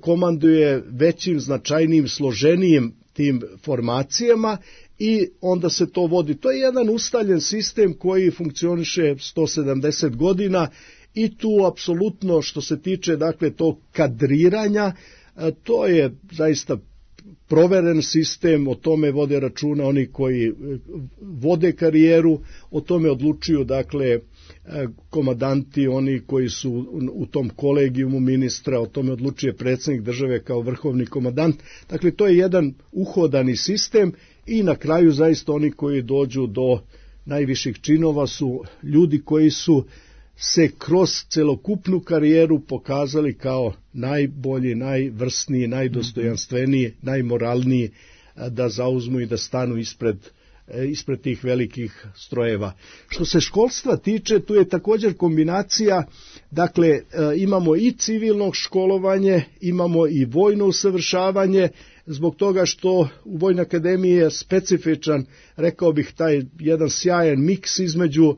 [SPEAKER 6] komanduje većim, značajnijim, složenijim tim formacijama i onda se to vodi. To je jedan ustaljen sistem koji funkcioniše 170 godina i tu apsolutno što se tiče dakle tog kadriranja, to je zaista proveren sistem, o tome vode računa oni koji vode karijeru, o tome odlučuju dakle komandanti, oni koji su u tom kolegijumu ministra, o tome odlučuje predsjednik države kao vrhovni komandant. Dakle, to je jedan uhodani sistem i na kraju zaista oni koji dođu do najviših činova su ljudi koji su se kroz celokupnu karijeru pokazali kao najbolji, najvrsniji, najdostojanstveniji, najmoralniji da zauzmu i da stanu ispred tih velikih strojeva. Što se školstva tiče, tu je također kombinacija, dakle imamo i civilno školovanje, imamo i vojno usavršavanje, zbog toga što u Vojnoj akademiji je specifičan, rekao bih, taj jedan sjajan miks između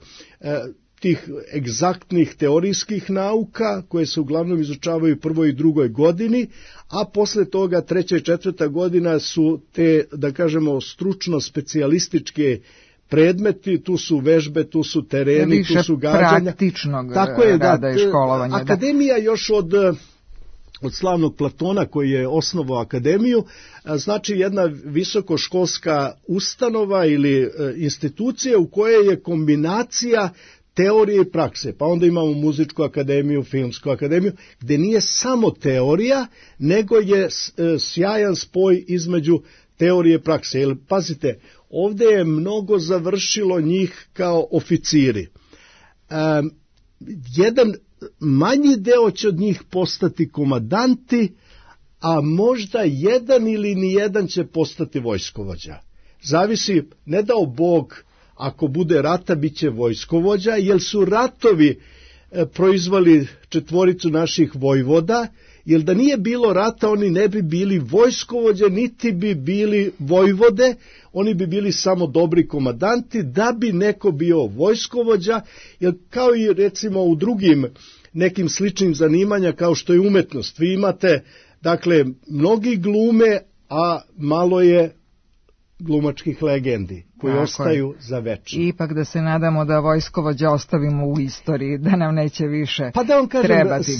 [SPEAKER 6] tih egzaktnih teorijskih nauka koje se uglavnom izučavaju u prvoj i drugoj godini, a posle toga 3. i 4. godina su te, da kažemo, stručno specijalističke predmeti, tu su vežbe, tu su tereni, tu su gađanja.
[SPEAKER 1] Praktičnog rada i školovanja.
[SPEAKER 6] Akademija još od slavnog Platona koji je osnovao akademiju, znači jedna visokoškolska ustanova ili institucija u kojoj je kombinacija teorije i prakse, pa onda imamo muzičku akademiju, filmsku akademiju, gdje nije samo teorija, nego je sjajan spoj između teorije i prakse. Jer, pazite, ovdje je mnogo završilo njih kao oficiri. Jedan manji deo će od njih postati komandanti, a možda jedan ili nijedan će postati vojskovođa. Zavisi, ne dao Bog, ako bude rata, bit će vojskovođa, jer su ratovi proizvali 4 naših vojvoda, jer da nije bilo rata, oni ne bi bili vojskovođe, niti bi bili vojvode, oni bi bili samo dobri komandanti, da bi neko bio vojskovođa, jer kao i recimo u drugim nekim sličnim zanimanja, kao što je umetnost, vi imate, dakle, mnogi glume, a malo je glumačkih legendi koji ostaju za večno.
[SPEAKER 1] Ipak da se nadamo da vojskovođa ostavimo u istoriji, da nam neće više
[SPEAKER 6] pa da vam kažem,
[SPEAKER 1] trebati.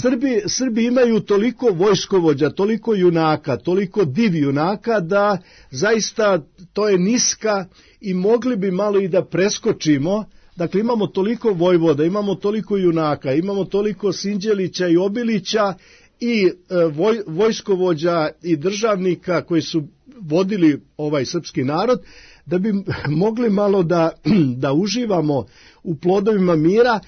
[SPEAKER 6] Srbi imaju toliko vojskovođa, toliko junaka, toliko div junaka, da zaista to je niska i mogli bi malo i da preskočimo. Dakle, imamo toliko vojvoda, imamo toliko junaka, imamo toliko Sinđelića i Obilića i vojskovođa i državnika koji su vodili ovaj srpski narod, da bi mogli malo da uživamo u plodovima mira,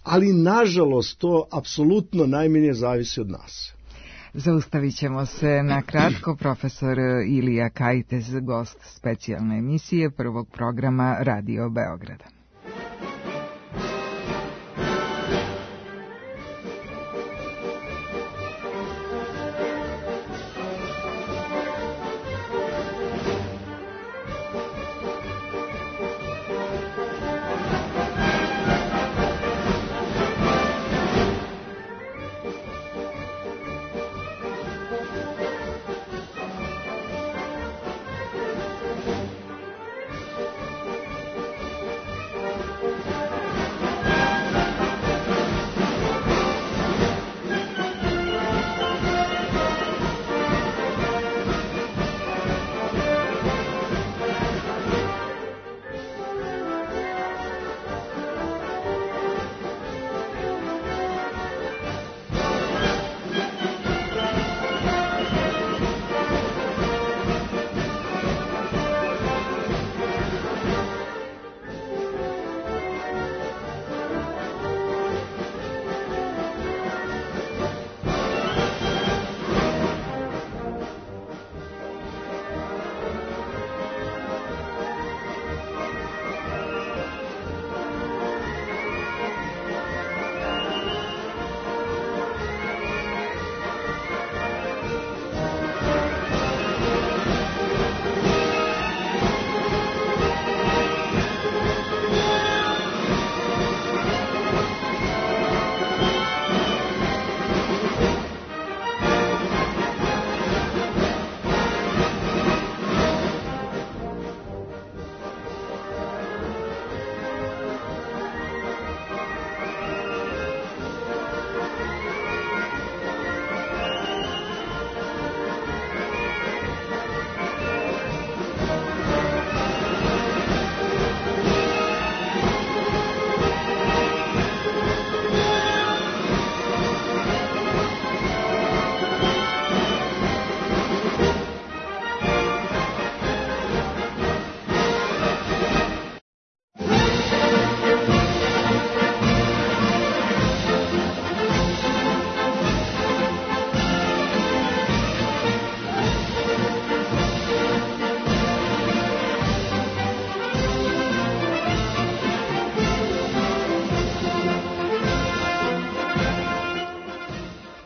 [SPEAKER 6] ali nažalost to apsolutno najmanje zavisi od nas.
[SPEAKER 1] Zaustavit ćemo se na kratko. Profesor Ilija Kajtez, gost specijalne emisije prvog programa Radio Beograda.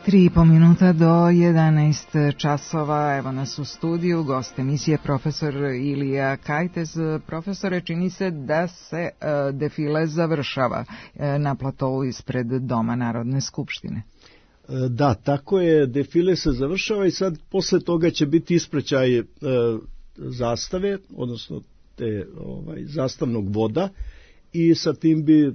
[SPEAKER 1] 3,5 minuta do 11 časova, evo nas u studiju, gost emisije profesor Ilija Kajtez. Profesore, čini se da se defile završava na platovu ispred Doma Narodne skupštine.
[SPEAKER 6] Da, tako je, defile se završava i sad posle toga će biti ispraćaj zastave, odnosno zastavnog voda, i sa tim bi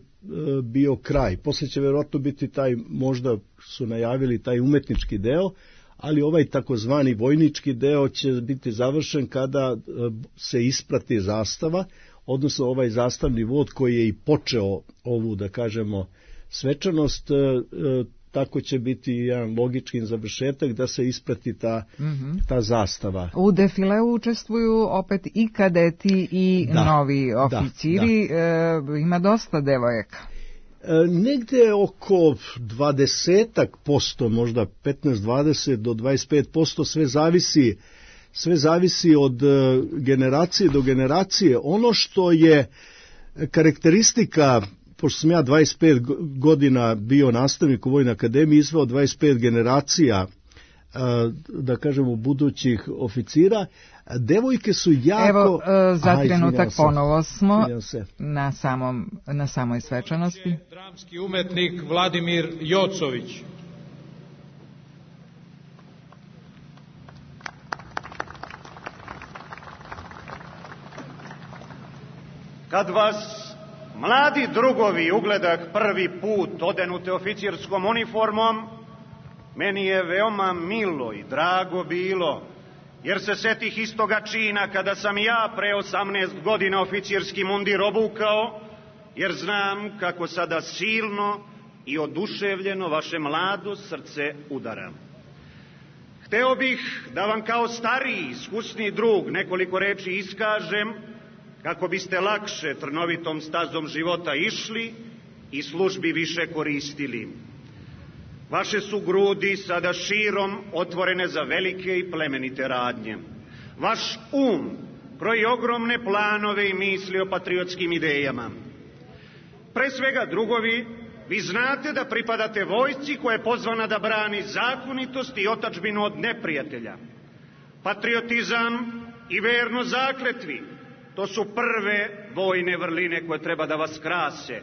[SPEAKER 6] bio kraj. Posle će verovatno biti taj, možda su najavili taj umetnički deo, ali ovaj takozvani vojnički deo će biti završen kada se isprati zastava, odnosno ovaj zastavni vod koji je i počeo ovu, da kažemo, svečanost, tako će biti jedan logički završetak da se isprati ta zastava.
[SPEAKER 1] U defileu učestvuju opet i kadeti i novi oficiri. Ima dosta devojaka.
[SPEAKER 6] Negde oko 20%, možda 15-20 do 25%, sve zavisi od generacije do generacije. Ono što je karakteristika, pošto sam ja 25 godina bio nastavnik u Vojnoj akademiji, izveo 25 generacija, da kažemo, budućih oficira, devojke su jako...
[SPEAKER 1] Evo, za trenutak ponovo smo na samoj svečanosti.
[SPEAKER 3] Dramski umetnik Vladimir Jocović.
[SPEAKER 12] Kad vas, mladi drugovi, ugledah prvi put odenute oficirskom uniformom, meni je veoma milo i drago bilo, jer se setih istoga čina kada sam ja pre 18 godina oficirski mundir obukao, jer znam kako sada silno i oduševljeno vaše mlado srce udara. Hteo bih da vam kao stariji, iskusni drug nekoliko reči iskažem, kako biste lakše trnovitom stazom života išli i službi više koristili. Vaše su grudi sada širom otvorene za velike i plemenite radnje. Vaš kroji ogromne planove i misli o patriotskim idejama. Pre svega, drugovi, vi znate da pripadate vojsci koja je pozvana da brani zakonitost i otadžbinu od neprijatelja. Patriotizam i verno zakletvi, to su prve vojne vrline koje treba da vas krase.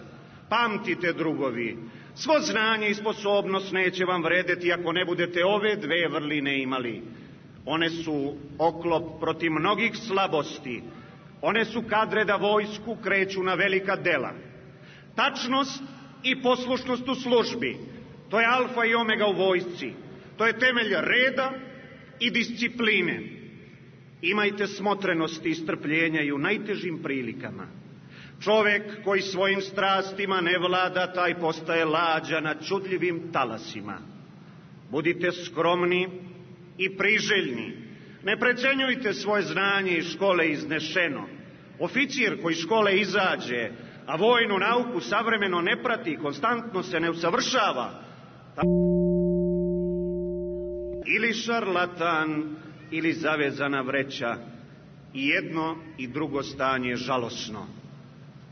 [SPEAKER 12] Pamtite, drugovi, svo znanje i sposobnost neće vam vredeti ako ne budete ove dve vrline imali. One su oklop protiv mnogih slabosti. One su kadre da vojsku kreću na velika dela. Tačnost i poslušnost u službi, to je alfa i omega u vojsci. To je temelj reda i discipline. Imajte smotrenosti i strpljenja i u najtežim prilikama. Čovek koji svojim strastima ne vlada, taj postaje lađa na čudljivim talasima. Budite skromni i priželjni. Ne precenjujte svoje znanje iz škole iznešeno. Oficir koji iz škole izađe, a vojnu nauku savremeno ne prati, konstantno se ne usavršava, ili šarlatan, ili zavezana vreća. I jedno i drugo stanje je žalosno.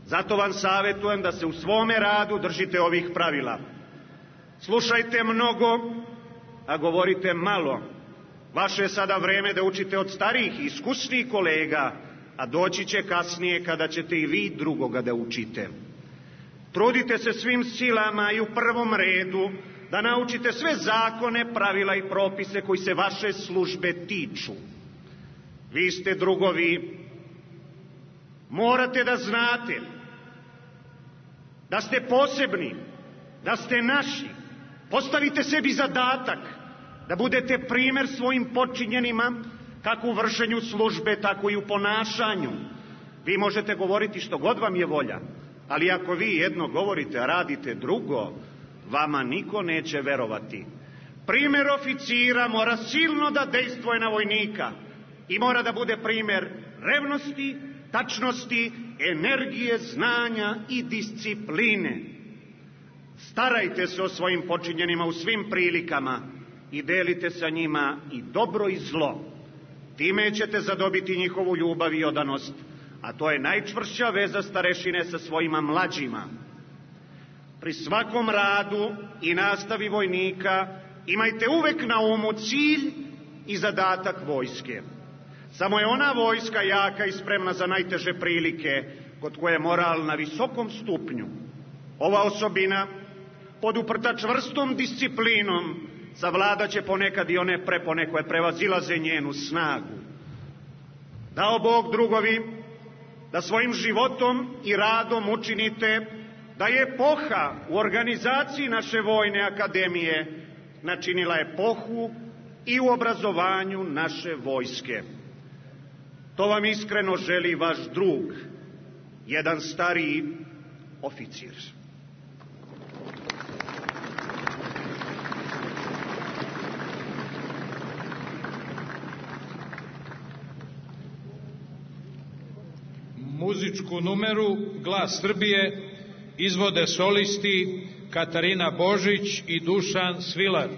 [SPEAKER 12] Zato vam savjetujem da se u svome radu držite ovih pravila. Slušajte mnogo, a govorite malo. Vaše je sada vreme da učite od starijih i iskusnih kolega, a doći će kasnije kada ćete i vi drugoga da učite. Trudite se svim silama i u prvom redu da naučite sve zakone, pravila i propise koji se vaše službe tiču. Vi ste, drugovi, morate da znate da ste posebni, da ste naši. Postavite sebi zadatak da budete primer svojim podčinjenima, kako u vršenju službe, tako i u ponašanju. Vi možete govoriti što god vam je volja, ali ako vi jedno govorite, a radite drugo, vama niko neće verovati. Primer oficira mora silno da dejstvuje na vojnika i mora da bude primer revnosti, tačnosti, energije, znanja i discipline. Starajte se o svojim počinjenima u svim prilikama i delite sa njima i dobro i zlo. Time ćete zadobiti njihovu ljubav i odanost, a to je najčvršća veza starešine sa svojima mlađima. Pri svakom radu i nastavi vojnika Imajte uvek na umu cilj i zadatak vojske. Samo je ona vojska jaka i spremna za najteže prilike, kod koje je moral na visokom stupnju. Ova osobina, poduprta čvrstom disciplinom, savladaće ponekad i one prepone koje prevazilaze njenu snagu. Dao Bog, drugovi, da svojim životom i radom učinite da je epoha u organizaciji naše vojne akademije načinila epohu i u obrazovanju naše vojske. To vam iskreno želi vaš drug, jedan stariji oficir.
[SPEAKER 3] Muzičku numeru Glas Srbije izvode solisti Katarina Božić i Dušan Svilar.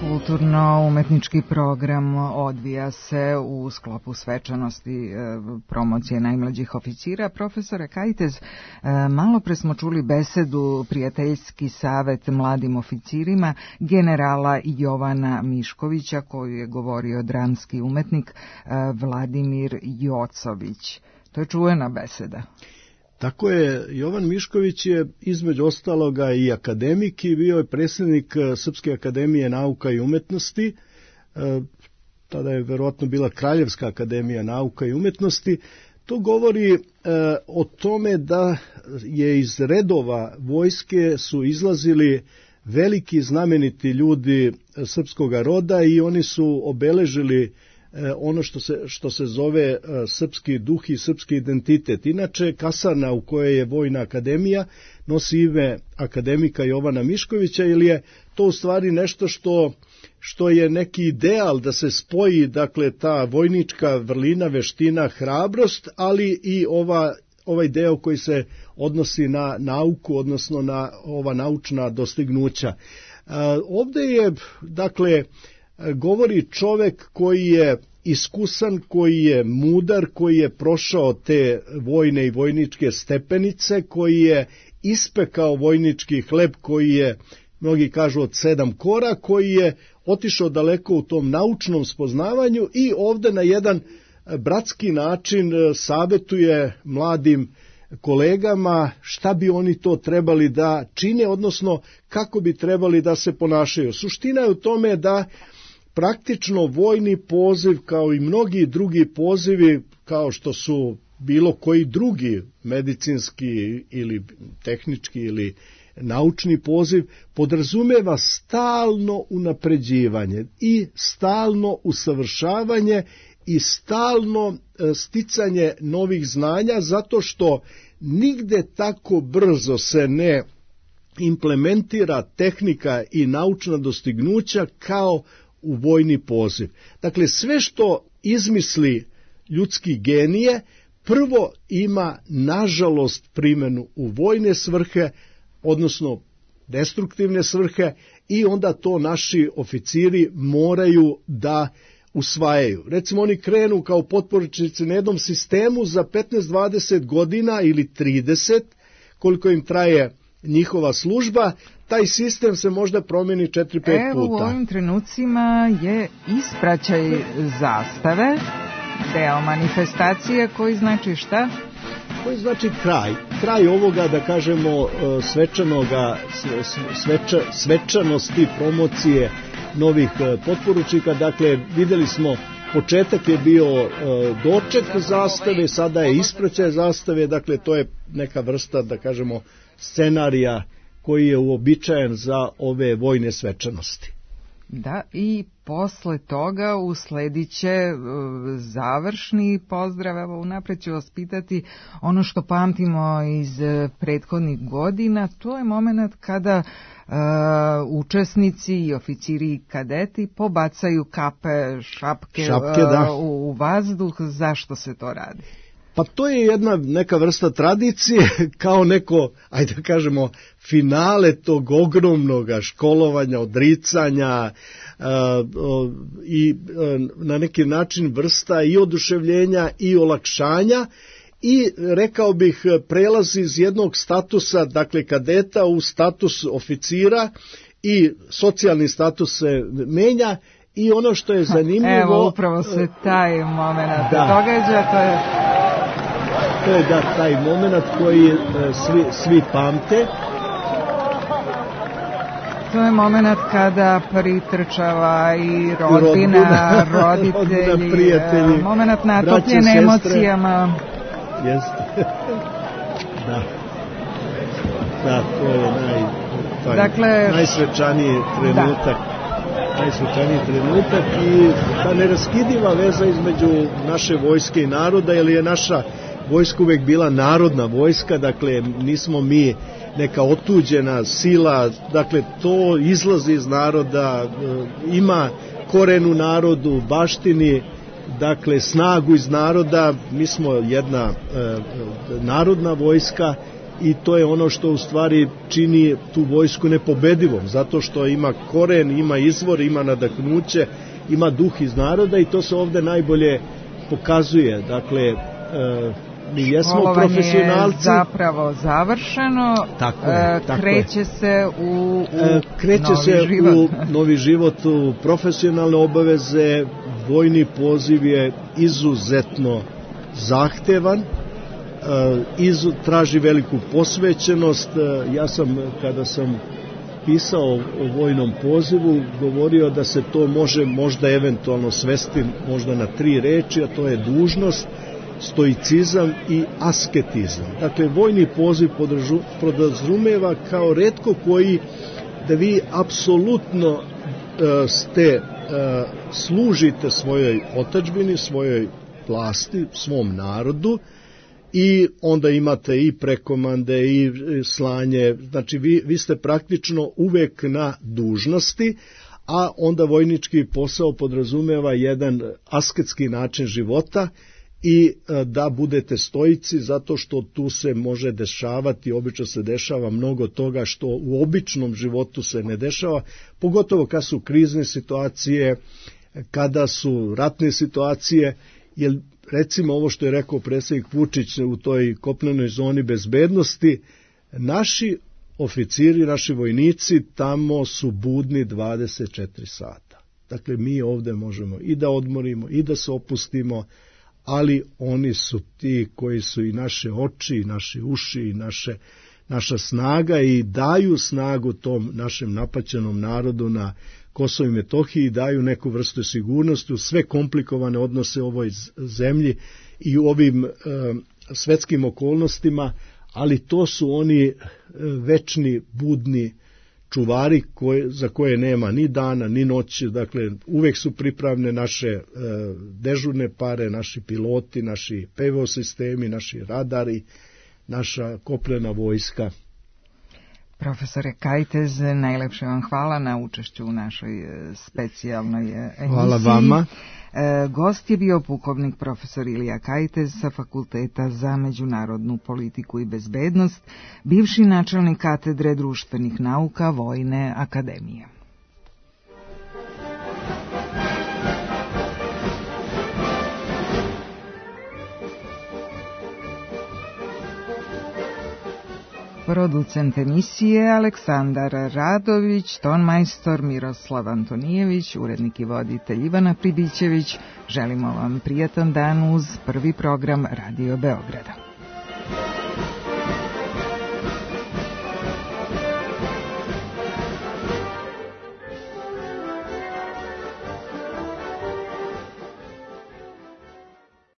[SPEAKER 1] Kulturno-umetnički program odvija se u sklopu svečanosti promocije najmlađih oficira. Profesore Kajtez, malo pre smo čuli besedu Prijateljski savet mladim oficirima generala Jovana Miškovića, koju je govorio dramski umetnik Vladimir Jocović. To je čuvena beseda.
[SPEAKER 6] Tako je, Jovan Mišković je između ostaloga i akademik i bio je predsjednik Srpske akademije nauka i umetnosti, tada je verovatno bila Kraljevska akademija nauka i umetnosti. To govori o tome da je iz redova vojske su izlazili veliki znameniti ljudi srpskog roda i oni su obeležili ono što se zove srpski duh i srpski identitet. Inače, kasarna u kojoj je Vojna akademija nosi ime akademika Jovana Miškovića, ili je to u stvari nešto što je neki ideal da se spoji, dakle, ta vojnička vrlina, veština, hrabrost, ali i ovaj deo koji se odnosi na nauku, odnosno na ova naučna dostignuća. Ovde je, dakle, govori čovek koji je iskusan, koji je mudar, koji je prošao te vojne i vojničke stepenice, koji je ispekao vojnički hleb, koji je, mnogi kažu, od 7 kora, koji je otišao daleko u tom naučnom spoznavanju i ovde na jedan bratski način savetuje mladim kolegama šta bi oni to trebali da čine, odnosno kako bi trebali da se ponašaju. Suština je u tome da praktično vojni poziv, kao i mnogi drugi pozivi, kao što su bilo koji drugi medicinski ili tehnički ili naučni poziv, podrazumeva stalno unapređivanje i stalno usavršavanje i stalno sticanje novih znanja, zato što nigde tako brzo se ne implementira tehnika i naučna dostignuća kao u vojni poziv. Dakle, sve što izmisli ljudski genije, prvo ima, nažalost, primjenu u vojne svrhe, odnosno destruktivne svrhe, i onda to naši oficiri moraju da usvajaju. Recimo, oni krenu kao potporučnici na jednom sistemu za 15-20 godina ili 30, koliko im traje njihova služba, taj sistem se možda promeni 4-5 puta.
[SPEAKER 1] Evo, u ovim trenucima je ispraćaj zastave, deo manifestacije koji znači šta?
[SPEAKER 6] koji znači kraj ovoga, da kažemo, svečanosti, promocije novih potporučnika. Dakle, videli smo, početak je bio doček zastave, sada je ispraćaj zastave, dakle to je neka vrsta, da kažemo, scenarija koji je uobičajen za ove vojne svečanosti.
[SPEAKER 1] Da, i posle toga usledit će završni pozdrav. Evo, unapred ću vas pitati ono što pamtimo iz prethodnih godina. To je moment kada učesnici i oficiri i kadeti pobacaju kape, šapke u vazduh. Zašto se to radi?
[SPEAKER 6] Pa to je neka vrsta tradicije, kao neko, ajde da kažemo, finale tog ogromnog školovanja, odricanja i na neki način vrsta i oduševljenja i olakšanja i, rekao bih, prelazi iz jednog statusa, dakle kadeta, u status oficira i socijalni status se menja. I ono što je zanimljivo...
[SPEAKER 1] Evo, upravo se taj moment događa,
[SPEAKER 6] to je taj moment koji svi pamte.
[SPEAKER 1] To je moment kada pritrčava i rodbina, roditelji, prijatelji, moment natopljen emocijama.
[SPEAKER 6] Jeste. Da, to je najsvečaniji trenutak. Najsvečaniji trenutak i ta neraskidiva veza između naše vojske i naroda, jer je naša vojska uvek bila narodna vojska, dakle nismo mi neka otuđena sila, dakle to izlazi iz naroda, ima koren u narodu, baštini, dakle snagu iz naroda. Mi smo jedna narodna vojska i to je ono što u stvari čini tu vojsku nepobedivom, zato što ima koren, ima izvor, ima nadahnuće, ima duh iz naroda i to se ovde najbolje pokazuje. Dakle, mi jesmo profesionalci.
[SPEAKER 1] Je zapravo završeno, kreće se u
[SPEAKER 6] novi život, u profesionalne obaveze. Vojni poziv je izuzetno zahtevan, traži veliku posvećenost. Ja sam, kada sam pisao o vojnom pozivu, govorio da se to može možda eventualno svesti možda na 3 reči, a to je dužnost, stoicizam i asketizam. Dakle, vojni poziv podrazumeva kao retko koji da vi apsolutno služite svojoj otadžbini, svojoj vlasti, svom narodu, i onda imate i prekomande i slanje, znači vi ste praktično uvek na dužnosti, a onda vojnički posao podrazumeva jedan asketski način života i da budete stoici, zato što tu se može dešavati, obično se dešava mnogo toga što u običnom životu se ne dešava, pogotovo kad su krizne situacije, kada su ratne situacije, jer recimo ovo što je rekao predsjednik Vučić u toj kopnenoj zoni bezbednosti, naši oficiri, naši vojnici tamo su budni 24 sata. Dakle, mi ovde možemo i da odmorimo i da se opustimo, ali oni su ti koji su i naše oči, i naši uši, i naša snaga i daju snagu tom našem napaćenom narodu na Kosovo i Metohiji, daju neku vrstu sigurnosti u sve komplikovane odnose u ovoj zemlji i u ovim svetskim okolnostima, ali to su oni večni budni čuvari za koje nema ni dana ni noći, dakle uvek su pripravne naše dežurne pare, naši piloti, naši PVO sistemi, naši radari, naša kopnena vojska.
[SPEAKER 1] Profesore Kajtez, najlepše vam hvala na učešću u našoj specijalnoj emisiji.
[SPEAKER 6] Hvala vama.
[SPEAKER 1] Gost je bio pukovnik profesor Ilija Kajtez sa Fakulteta za međunarodnu politiku i bezbednost, bivši načelnik katedre društvenih nauka Vojne akademije. Producent emisije Aleksandar Radović, tonmajstor Miroslav Antonijević, urednik i voditelj Ivana Pribićević. Želimo vam prijatan dan uz prvi program Radio Beograda.